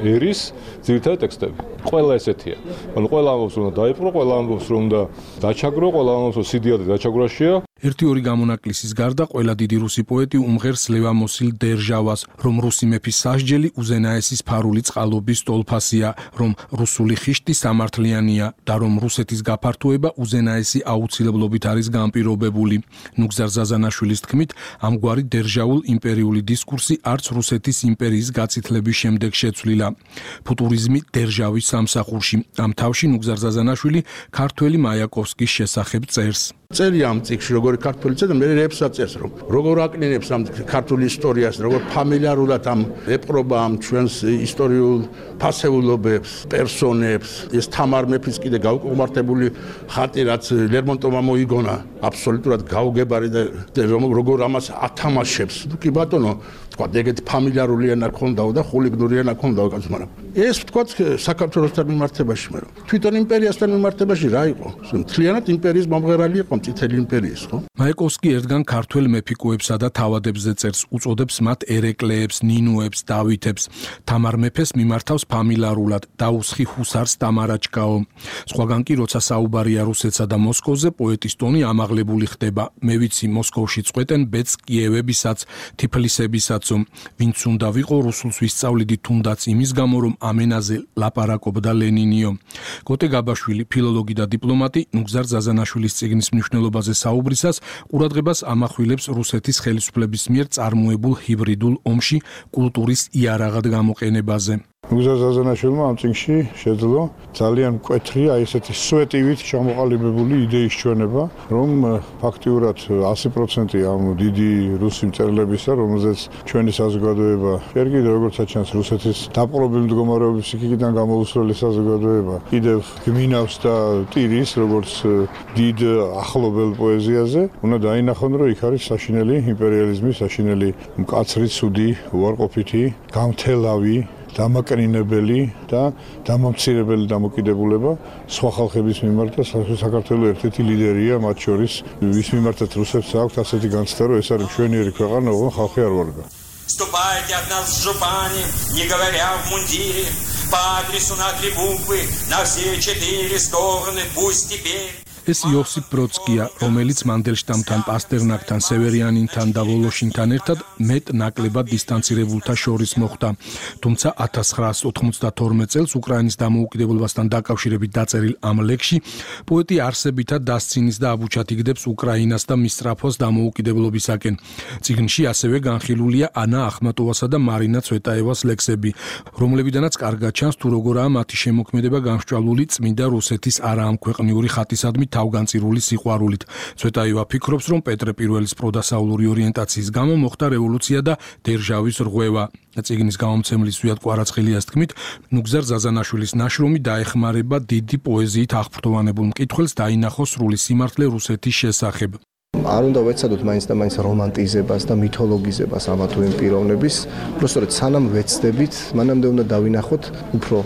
ერის ძირითადი ტექსტები. ყველა ესეთია. ანუ ყველა ამბობს, რომ დაიპყრო, ყველა ამბობს, რომ და დაჩაგრო, ყველა ამბობს, რომ სიდიადე დაჩაგვრაშია. ერთი-ორი გამონაკლისის გარდა ყველა დიდი რუსი პოეტი უმღერს ლევამოსილ დერჟავას, რომ რუსი მეფის სასჯელი უზენაესის ფარული წყალობის ტოლფასია, რომ რუსული ხიშტი სამართლიანია და რომ რუსეთის გაფართოება უზენაესი აუცილებლობით არის განპირობებული. ნუგზარ ზაზანაშვილის თქმით, ამგვარი დერჟაულ იმპერიული დისკურსი არც რუსეთის იმპერიის გაწითლების შემდეგ შეცვლილა. ფუტურიზმი დერჟავის სამსახურში. ამ თავში ნუგზარ ზაზანაშვილი ქართველი მაიაკოვსკის შესახებ წერს. წერია ამ წიგნში როგორი ქართველი წერდა, მე რეებსაც წერს, რომ როგორ აკნინებს ამ ქართული ისტორიას, როგორ ფამილიარულად ამ ეპყრობა ამ ჩვენს ისტორიულ ფასეულობებს, პერსონებს, ეს თამარ მეფის კიდე გაუკუმართებული ხატი, რაც ლერმონტოვმა მოიგონა, აბსოლუტურად გაუგებარი და როგორ ამას ათამაშებს. კი ბატონო, თქვა ეგეთი ფამილიარული ენა ქონდაო და ხულიგნური ენა ქონდაო კაცო, მაგრამ ეს თქვა საქართველოსთან მიმართებაში, მაგრამ თვითონ იმპერიასთან მიმართებაში რა იყო? მთლიანად იმპერიის მომღერალი იყო წითელი იმპერიის, ხო? მაიაკოვსკი ერთგან ქართველ მეფიკოებსა და თავადებზე წერს, უწოდებს მათ ერეკლეებს, ნინუებს, დავითებს. თამარ მეფეს მიმართავს ფამილიარულად, დაუსხი ჰუსარს დამარაჩკაო. სხვაგან კი როცა საუბარია რუსეთსა და მოსკოვზე, პოეტის ტონი ამაღლებული ხდება. მე ვიცი, მოსკოვში წყვეტენ ბედს კიევებისაც, თიფლისებისაც, ვინც უნდა ვიყო რუსულს ვისწავლიდი თუნდაც იმის გამო, რომ ამენაზე ლაპარაკობდა ლენინიო. კოტე გაბაშვილი, ფილოლოგი და დიპლომატი, ნუგზარ ზაზანაშვილის წიგნის მნიშვნელობაზე საუბრისას ყურადღებას ამახვილებს რუსეთის ხელისუფლების მიერ წარმოებულ ჰიბრიდულ ომში კულტურის იარაღად გამოყენებაზე. ნუგზარ ზაზანაშვილმა ამ წიგნში შეძლო ძალიან მკვეთრი, აი ესეთი სუეტივით ჩამოყალიბებული იდეის ჩვენება, რომ ფაქტიურად ასი პროცენტი ამ დიდი რუსი მწერლებისა, რომელზეც ჩვენი საზოგადოება, ჯერ კიდევ როგორც ჩანს რუსეთის დაპყრობილი მდგომარეობის იქიდან გამოუსვლელი საზოგადოება, კიდევ გმინავს და ტირის, როგორც დიდ ახლობელ პოეზიაზე, უნდა დაინახონ, რომ იქ არის საშინელი იმპერიალიზმი, საშინელი მკაცრი, ცუდი, უარყოფითი, გამთელავი დამაკნინებელი და დამამცირებელი დამოკიდებულება სხვა ხალხების მიმართ და საქართველოს ერთ-ერთი ლიდერია მათ შორის, ვის მიმართაც რუსებს აქვს ასეთი განცდა, რომ ეს არის მშვენიერი ქვეყანა, ოღონდ ხალხი არ ვარგა. Ступайте от нас в жупане, не говоря в мундире, по адресу на три буквы, на все четыре стороны, пусть теперь. ეს იოსიფ ბროდსკია, რომელიც მანდელშტამთან, პასტერნაკთან, სევერიანინთან და ვოლოშინთან ერთად მეტ ნაკლებად დისტანცირებულთა შორის მოხვდა. თუმცა ათას ცხრაას ოთხმოცდათორმეტ წელს უკრაინის დამოუკიდებლობასთან დაკავშირებით დაწერილ ამ ლექსში პოეტი არსებითად დასცინის და აბუჩათიგდებს უკრაინას და მის სწრაფოს დამოუკიდებლობისაკენ. წიგნში ასევე განხილულია ანა ახმატოვასა და მარინა ცვეტაევას ლექსები, რომლებიდანაც კარგად ჩანს თუ როგორაა მათი შემოქმედება გამსჭვალული წმინდა რუსეთის არაამქვეყნიური ხატისადმი თავგანწირული სიყვარულით. ცვეტაევა ფიქრობს, რომ პეტრე პირველის პროდასაულური ორიენტაციის გამო მოხდა რევოლუცია და დერჟავის რღვევა. წიგნის გამომცემლის ზვიად კვარაცხელიას თქმით, ნუგზარ ზაზანაშვილის ნაშრომი დაეხმარება დიდი პოეზიით აღფრთოვანებულ მკითხველს დაინახოს სრული სიმართლე რუსეთის შესახებ. არ უნდა ვეცადოთ მაინც და მაინც რომანტიზებას და მითოლოგიზებას ამა თუ იმ პიროვნების, უბრალოდ სანამ ვეცდებით, მანამდე უნდა დავინახოთ უფრო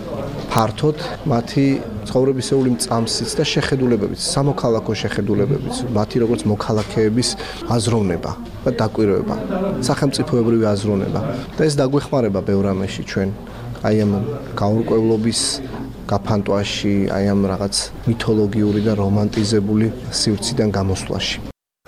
ფართოდ მათი ცხოვრებისეული მწამსიც და შეხედულებებიც, სამოქალაქო შეხედულებებიც, მათი როგორც მოქალაქეების აზროვნება და დაკვირვება, სახელმწიფოებრივი აზროვნება. და ეს დაგვეხმარება ბევრ რამეში ჩვენ აი ამ გაურკვევლობის გაფანტვაში, აი ამ რაღაც მითოლოგიური და რომანტიზებული სივრციდან გამოსვლაში.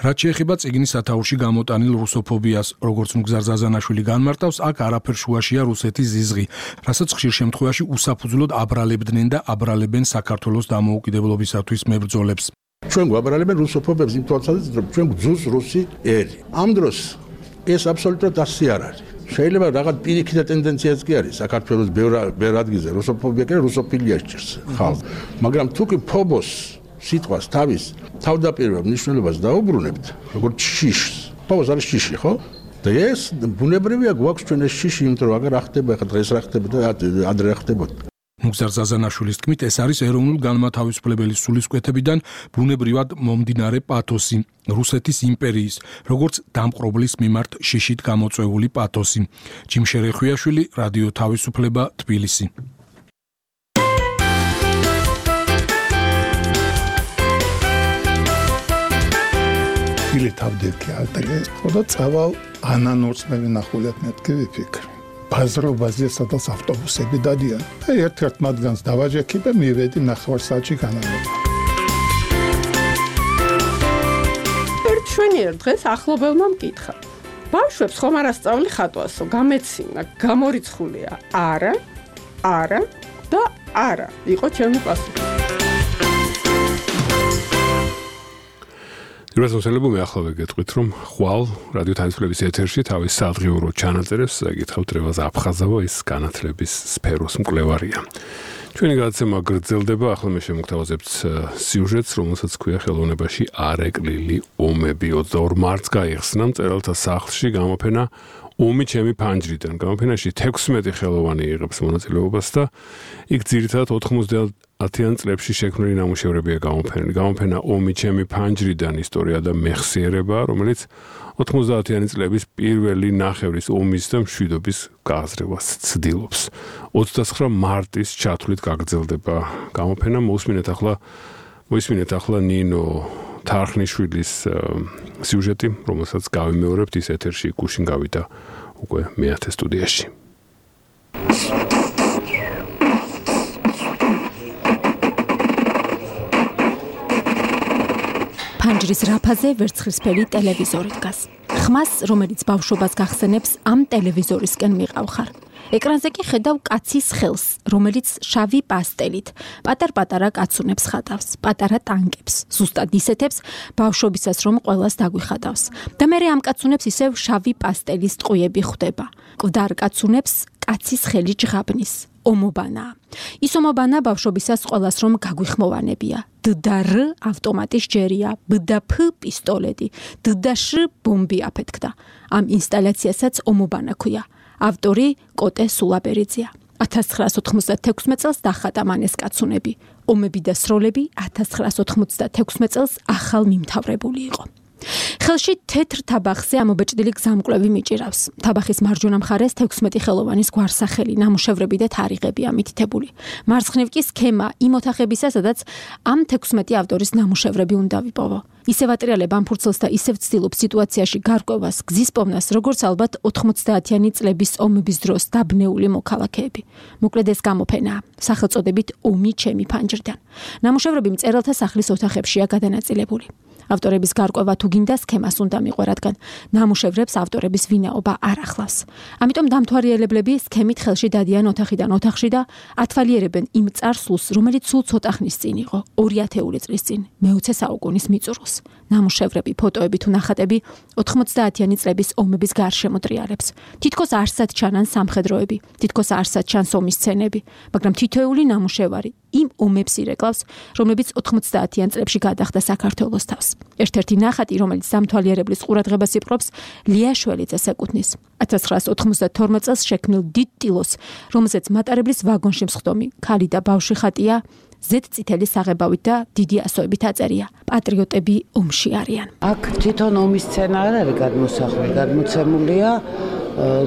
რაც შეეხება წიგნის სათაურში გამოტანილ რუსოფობიას, როგორც ნუგზარ ზაზანაშვილი განმარტავს, აქ არაფერ შუაშია რუსეთის ზიზღი, რასაც ხშირ შემთხვევაში უსაფუძვლოდ აბრალებდნენ და აბრალებენ საქართველოს დამოუკიდებლობისათვის მებრძოლებს. ჩვენ გვაბრალებენ რუსოფობებს იმ თვალსაზრისით, რომ ჩვენ გძულს რუსი ერი. ამ დროს ეს აბსოლუტურად ასე არ არის. შეიძლება რაღაც პირიქითა ტენდენციაც კი არის საქართველოს ბევრ ადგილზე რუსოფობია კი რუსოფილია სჭირს ხალხს, მაგრამ თუ კი ფობოს სიტყვას თავის თავდაპირველ მნიშვნელობას დაუბრუნებთ, როგორც შიშს. ფობოს არის შიში, ხო? და ეს ბუნებრივია გვაქვს ჩვენ ეს შიში, იმიტომ რომ აგერ ახდება, ხა დღეს რა ხდება და ადრე რა ხდებოდა. ნუგზარ ზაზანაშვილის თქმით, ეს არის ეროვნულ განმათავისუფლებელი სულისკვეთებიდან ბუნებრივად მომდინარე პათოსი, რუსეთის იმპერიის, როგორც დამპყრობლის მიმართ შიშით გამოწვეული პათოსი. ჯიმ შერეხვიაშვილი, რადიო თავისუფლება, თბილისი. Ili თავდირკი ალტეგე, ხოდა წავალ ანანურს მე ვინახულებ მეთქი ვიფიქრე. ბაზრობაზე სადაც ავტობუსები დადიან. და ერთ-ერთ მათგანს დავაჯექი და მივედი ნახევარ საათში განავრება. ერთ შვენიერ დღეს ახლობელმა მკითხა. ბავშვებს ხომ არ ასწავლი ხატვასო, გამეცინა, გამორიცხულია. არა, არა და არა. იყო ჩემი პასუხი. პირველს მოსელებო მე ახლა ვეგეთყვით, რომ ხვალ რადიო თავისუფლების ეთერში თავის სადღიურო ჩანაწერებს გითხავთ რევაზ აფხაზავა, ის განათლების სფეროს მკვლევარია. ჩვენი გადაცემა გრძელდება, ახლა მე შემოგთავაზებთ სიუჟეტს, რომელსაც ქვია ხელოვნებაში არეკლილი ომები. ოცდაორ მარტს გაიხსნა მწერალთა სახლში გამოფენა ომი ჩემი ფანჯრიდან. გამოფენაში თექვსმეტი ხელოვანი იღებს მონაწილეობას და იქ ძირითადად ოთხმოცდაათიან წლებში შექმნილი ნამუშევრებია გამოფენილი. გამოფენა ომი ჩემი ფანჯრიდან ისტორია და მეხსიერება, რომელიც ოთხმოცდაათიანი წლების პირველი ნახევრის ომის და მშვიდობის გააზრებას ცდილობს. ოცდაცხრა მარტის ჩათვლით გაგრძელდება გამოფენა. მოусმინეთ ახლა მოისმინეთ ახლა ნინო თარხნიშვილის სიუჟეტი, რომელსაც გავიმეორებთ, ის ეთერში გუშინ გავიდა უკვე მეათე სტუდიაში. ფანჯრის რაფაზე ვერცხლისფერი ტელევიზორი დგას. ხმას, რომელიც ბავშვობას გახსენებს, ამ ტელევიზორისკენ მიყავხარ. ეკრანზე კი ხედავ კაცის ხელს, რომელიც შავი პასტელით პატარ-პატარა კაცუნებს ხატავს, პატარა ტანკებს, ზუსტად ისეთებს ბავშვობისას რომ ყველას დაგვიხატავს. და მე ამ კაცუნებს ისევ შავი პასტელის ტყუები ხვდება. კვდარ კაცუნებს კაცის ხელი ჯღაბნის. ომობანა. ის ომობანა ბავშვობისას ყველას რომ გაგვიხმოვანებია. დ და რ ავტომატის ჯერია, ბ და ფ პისტოლეტი, დ და შ ბომბი აფეთქდა. ამ ინსტალაციასაც ომობანა ქვია. ავტორი კოტე სულაბერიძეა. ათას ცხრაას ოთხმოცდათექვსმეტ წელს დახატა მან ეს კაცუნები. ომები და სროლები ათას ცხრაას ოთხმოცდათექვსმეტ წელს ახალ მიმთავრებული იყო. ხელში თეთრ თაბახზე ამობეჭდილი გზამკვლევი მიჭირავს. თაბახის მარჯვენა მხარეს თექვსმეტი ხელოვანის გვარსახელი, ნამუშევრები და თარიღებია მითითებული. მარცხნივ კი სქემა იმ ოთახებისა, სადაც ამ თექვსმეტი ავტორის ნამუშევრები უნდა ვიპოვო. ისევ ატრიალებ ამ ფურცელს და ისევ ცდილობ სიტუაციაში გარკვევას, გზის პოვნას, როგორც ალბათ ოთხმოცდაათიანი წლების ომების დროს დაბნეული მოქალაქეები. მოკლედ ეს გამოფენაა, სახელწოდებით ომი ჩემი ფანჯრიდან. ნამუშევრები მწერალთა სახლის ოთახებშია გადანაწილებული. ავტორების გარკვევა თუ გინდა სქემას უნდა მიყვე, რადგან ნამუშევრებს ავტორების ვინაობა არ ახლავს. ამიტომ დამთვალიერებლები სქემით ხელში დადიან ოთახიდან ოთახში და ათვალიერებენ იმ წარსულს, რომელიც სულ ცოტა ხნის წინ იყო, ორი ათეული წლის წინ, მეოცე საუკუნის მიწურულს. ნამუშევრები, ფოტოები თუ ნახატები ოთხმოცდაათიანი წლების ომების გარშემო ტრიალებს. თითქოს არსად ჩანან სამხედროები, თითქოს არსად ჩანს ომის სცენები, მაგრამ თითოეული ნამუშევარი იმ ომებს ირეკლავს, რომლებიც ოთხმოცდაათიან წლებში გადახდა საქართველოს თავს. ერთ-ერთი ნახატი, რომელიც დამთვალიერებლის ყურადღებას იპყრობს, ლია შველიძეს ეკუთვნის. ათას ცხრაას ოთხმოცდათორმეტ წელს შექმნილ დიდ ტილოს, რომელზეც მატარებლის ვაგონში მსხდომი ქალი და ბავშვი ხატია, ზედ წითელი საღებავით და დიდი ასოებით აწერია. პატრიოტები ომში არიან. აქ თვითონ ომის სცენა არ არის გადმოსახული, გადმოცემულია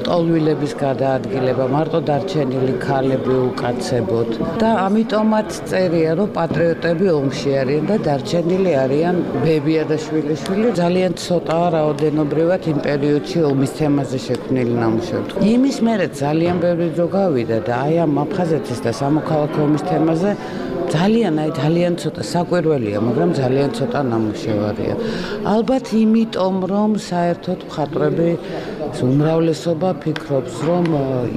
ტოლვილების გადაადგილება, მარტო დარჩენილი ქალები უკაცებოდ და ამიტომაც წერია, რომ პატრიოტები ომში არიან და დარჩენილი არიან ბებია და შვილიშვილი. ძალიან ცოტაა რაოდენობრივად იმ პერიოდში ომის თემაზე შექმნილი ნამუშევრები. იმის მერე ძალიან ბევრი დრო გავიდა და აი ამ აფხაზეთის და სამოქალაქო ომის თემაზე ძალიან აი ძალიან ცოტა საკვირველია, მაგრამ ძალიან ცოტა ნამუშევარია. ალბათ იმიტომ, რომ საერთოდ მხატვრები უმრავლესობა ფიქრობს, რომ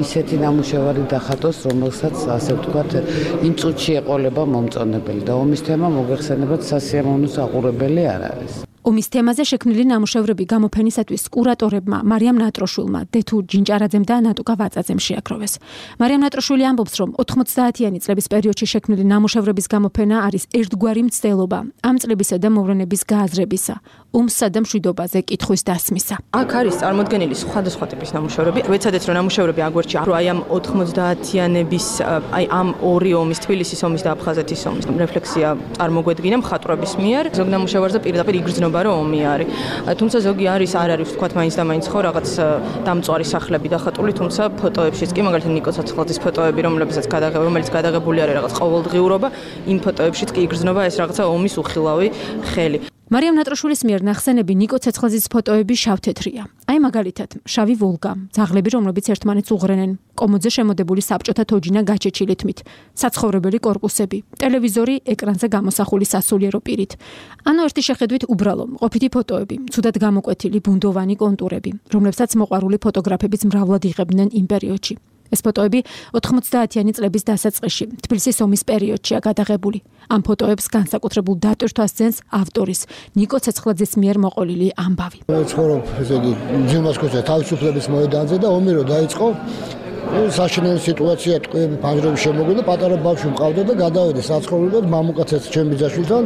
ისეთი ნამუშევარი დახატოს, რომელსაც ასე ვთქვათ, იმ წუთში ეყოლება მომწონებელი და ომის თემა მოგეხსენებათ სასიამოვნო საყურებელი არ არის. ომის თემაზე შექმნილი ნამუშევრები გამოფენისათვის კურატორებმა მარიამ ნატროშვილმა, დეთუ ჯინჭარაძემ და ნატუკა ვაწაძემ შეაქროვეს. მარიამ ნატროშვილი ამბობს, რომ ოთხმოცდაათიანი წლების პერიოდში შექმნილი ნამუშევრების გამოფენა არის ერთგვარი მცდელობა ამ წლებისა და მოვლენების გააზრებისა, ომსა და მშვიდობაზე კითხვის დასმისა. აქ არის წარმოდგენილი სხვადასხვა ტიპის ნამუშევრები. ვეცადეთ, რომ ნამუშევრები აგვერჩი, რომ აი ამ ოთხმოცდაათიანების, აი ამ ორი ომის, თბილისის ომის და აფხაზეთის ომის რეფლექსია წარმოგვედგინა მხატვრების მიერ. ზოგ ნამუშევარზე პირდაპირ იგრძნობა რომ ომი არის. თუმცა ზოგი არის, არ არის ვთქვათ მაინც და მაინც ხო რაღაც დამწვარი სახლები დახატული, თუმცა ფოტოებშიც კი მაგალითად ნიკო ცოცხლაძის ფოტოები, რომლებსაც გადაღებ, რომელიც გადაღებული არის რაღაც ყოველდღიურობა, იმ ფოტოებშიც კი იგრძნობა ეს რაღაცა ომის უხილავი ხელი. მარიამ ნატროშვილის მიერ ნახსენები ნიკო ცეცხლაძის ფოტოები შავ-თეთრია. აი მაგალითად, შავი ვოლგა, ძაღლები, რომლებიც ერთმანეთს უღრენენ, კომოდზე შემოდებული საბჭოთა თოჯინა გაჩეჩილი თმით, საცხოვრებელი კორპუსები, ტელევიზორი ეკრანზე გამოსახული სასულიერო პირით. ანუ ერთი შეხედვით უბრალო, ყოფითი ფოტოები, ცუდად გამოკვეთილი ბუნდოვანი კონტურები, რომლებსაც მოყვარული ფოტოგრაფებიც მრავლად იღებდნენ იმ პერიოდში. ეს ფოტოები ოთხმოცდაათიანი წლების დასაწყისში, თბილისის ომის პერიოდშია გადაღებული. ამ ფოტოებს განსაკუთრებულ დატვირთვას ძენს ავტორის, ნიკო ცეცხლაძის მიერ მოყოლილი ამბავი. ცხოვრობ, ესე იგი, ძილმას ქუჩაზე თავისუფლების მოედანზე და ომი რო დაიწყო, საშინელი სიტუაცია, ტყვეები, ფანჯრები შემოგვიდა, პატარა ბავშვი მყავდა და გადავედი საცხოვრებლად მამუკაცაც ჩემი ბიძაშვილთან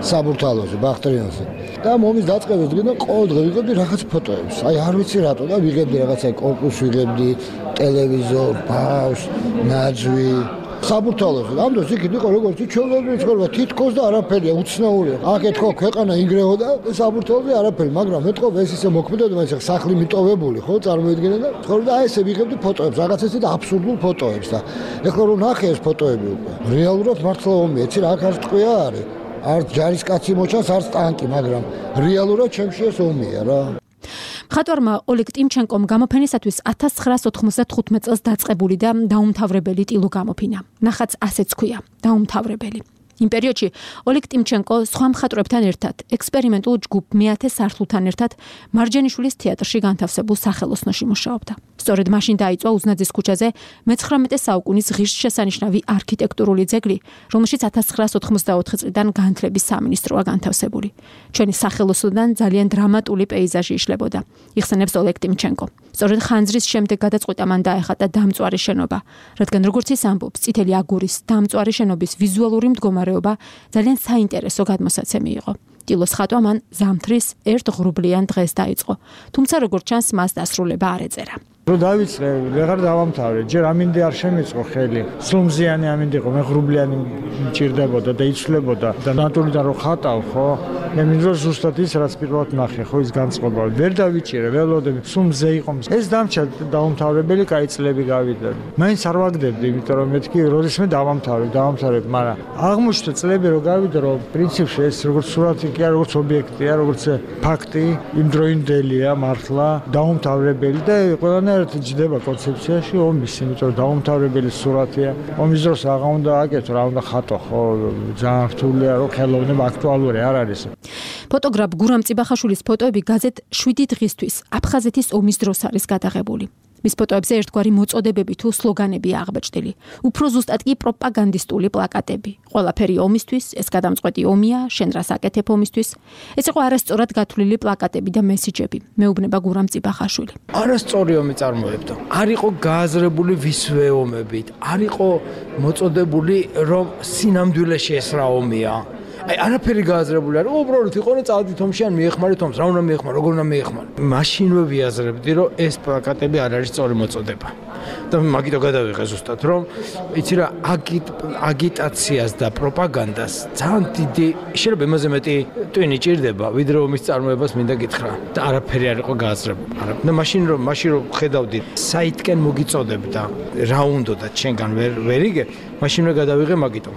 საბურთალოზე, ბახტრიანზე. და მომის დაწყების დღიდან ყოველ დღე ვიღებდი რაღაც ფოტოებს. აი არ ვიცი რატო და ვიღებდი რაღაცა კორპუსს, ვიღებდი ტელევიზორ, ბავშვს, ნაძვი. საბურთალოზე. ამ დროს იქით იყო როგორც ჩვეულებრივი ცხოვრება, თითქოს და არაფერია, უცნაურია. აქ ეთქო ქვეყანა ინგრეოდა, საბურთალოზე არაფერი, მაგრამ ეთქო ეს ისე მოქმედებდა, მაგრამ ეს სახლი მიტოვებული, ხო, წარმოიდგინე და ცხოვრება აი ესე ვიღებდი ფოტოებს, რაღაც ესე და აბსურდულ ფოტოებს და ეხლა რომ ნახე ეს ფოტოები უკვე. რეალურად მართლა ომია, იცი რა, აქ არ ტყვია არის. არც ჯარისკაცი მოჩანს, არც ტანკი, მაგრამ რეალურად ჩემში ეს ომია რა. მხატვარმა ოლეგ ტიმჩენკომ გამოფენისათვის ათას ცხრაას ოთხმოცდათხუთმეტ წელს დაწყებული და დაუმთავრებელი ტილო გამოფინა. ნახატს ასეც ქვია, დაუმთავრებელი. იმ პერიოდში ოლეგ ტიმჩენკო სხვა მხატვრებთან ერთად, ექსპერიმენტულ ჯგუფ მეათე სართულთან ერთად მარჯანიშვილის თეატრში განთავსებულ სახელოსნოში მუშაობდა. სწორედ მაშინ დაიწყო უზნაძის ქუჩაზე მეცხრამეტე საუკუნის ღირსშესანიშნავი არქიტექტურული ძეგლი, რომელშიც ათას ცხრაას ოთხმოცდაოთხი წლიდან განათლების სამინისტროა განთავსებული. ჩვენი სახელოსნოდან ძალიან დრამატული პეიზაჟი იშლებოდა, იხსენებს ოლეგ ტიმჩენკო. სწორედ ხანძრის შემდეგ გადაწყვიტა მან დაეხატა დამწვარი შენობა, რადგან როგორც ის ამბობს, წითელი აგურის დამწვარი შენობის ვიზუალური მდგომარეობა ძალიან საინტერესო გადმოსაცემი იყო. ტილოს ხატვა მან ზამთრის ერთ ღრუბლიან დღეს დაიწყო, თუმცა როგორც ჩანს, მას დასრულება არ ეწერა. რო დავიწყე, ვეღარ დავამთავრე, ჯერ ამინდი არ შემიწყო ხელი. სლუმზიანი ამინდი იყო, მე ღრუბლიანი მჭირდებოდა და იცვლებოდა და ნატურიდან რო ხატავ, ხო? მე მინდოდა ზუსტად ის, რაც პირველად ნახე, ხო, ის განწყობა. ვერ დავიჭირე, ველოდები, სლუმზე იყო. ეს დამჭა დაუმთავრებელი კაი წლები გავიდა. მაინც არ ვაგდებდი, იმიტომ რომ მეთქი როდის მე დავამთავრე, დავამთავრებ, მაგრამ აღმოჩნდა წლები რო გავიდა, რომ პრინციპში ეს როგორც სურათი კი არა, როგორც ობიექტია, როგორც ფაქტი, იმდროინდელია მართლა, დაუმთავრებელი და ყველანაირად ჯდება კონცეფციაში ომის, იმიტომ რომ დაუმთავრებელი სურათია. ომის დროს აღა უნდა აკეთო, რა უნდა ხატო, ხო, ძალიან რთულია, რომ ხელოვნება აქტუალური არ არის. ფოტოგრაფ გურამ წიბახაშვილის ფოტოები გაზეთ შვიდი დღისთვის აფხაზეთის ომის დროს არის გადაღებული. მის ფოტოებზე ერთგვარი მოწოდებები თუ სლოგანებია აღბეჭდილი. უფრო ზუსტად კი პროპაგანდისტული პლაკატები. ყველაფერი ომისთვის, ეს გადამწყვეტი ომია, შენ რას აკეთებ ომისთვის. ეს იყო არასწორად გათვლილი პლაკატები და მესიჯები. მეუბნება გურამ წიბახაშვილი. არასწორი ომი წარმოებდა. არ იყო გააზრებული ვისვე ომებით, არ იყო მოწოდებული, რომ სინამდვილეში ეს რა ომია. აი არაფერი გააზრებული არ უბრალოდ იყონე წავდით ომში ან მიეხმარეთ ომს რა უნდა მიეხმარო როგორ უნდა მიეხმარო მაშინვე ვიაზრებდი რომ ეს პლაკატები არ არის სწორი მოწოდება და მაგითო გადავიღე ზუსტად რომ იცი რა აგიტაციას და პროპაგანდას ძალიან დიდი შეიძლება იმაზე მეტი ტვინი ჭირდება ვიდრე ომის წარმოებას მინდა გითხრა და არაფერი არ იყო გააზრებული და მაშინ რომ მაშინ რომ ხედავდი საითკენ მოგიწოდებდა რა უნდოდა ჩვენგან ვერ ვერ იგე მაშინვე გადავიღე მაგითო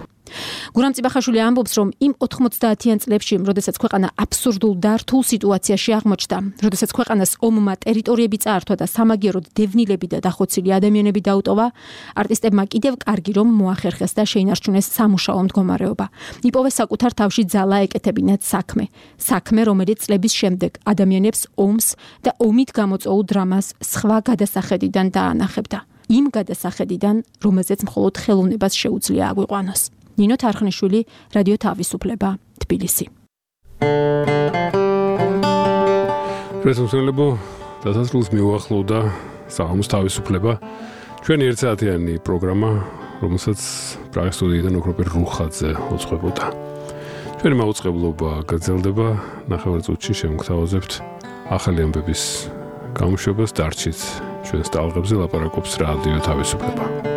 გურამ წიბახაშვილი ამბობს, რომ იმ ოთხმოცდაათიან წლებში, როდესაც ქვეყანა აბსურდულ და რთულ სიტუაციაში აღმოჩნდა, როდესაც ქვეყანას ომმა ტერიტორიები წაართვა და სამაგიეროდ დევნილები და დახოცილი ადამიანები დაუტოვა, არტისტებმა კიდევ კარგი რომ მოახერხეს და შეინარჩუნეს სამუშაო მდგომარეობა. იპოვეს საკუთარ თავში ძალა ეკეთებინათ საქმე, საქმე, რომელიც წლების შემდეგ ადამიანებს ომს და ომით გამოწვეულ დრამას სხვა გადასახედიდან დაანახებდა. იმ გადასახედიდან, რომელზეც მხოლოდ ხელოვნებას შეუძლია აგვიყვანოს. ნინო თარხნიშვილი, რადიო თავისუფლება, თბილისი. პრესუმსელებო, დასასრულს მიუახლოვდა საღამოს თავისუფლება. ჩვენი ერთსაათიანი პროგრამა, რომელსაც პრაღის სტუდიიდან ოქროპერ რუხაძე უწყებოდა. ჩვენი მაუწყებლობა გრძელდება, ნახევარ წუთში შემოგთავაზებთ ახალი ამბების გამოშვებას, დარჩით ჩვენს ტალღებზე ლაპარაკობს რადიო თავისუფლება.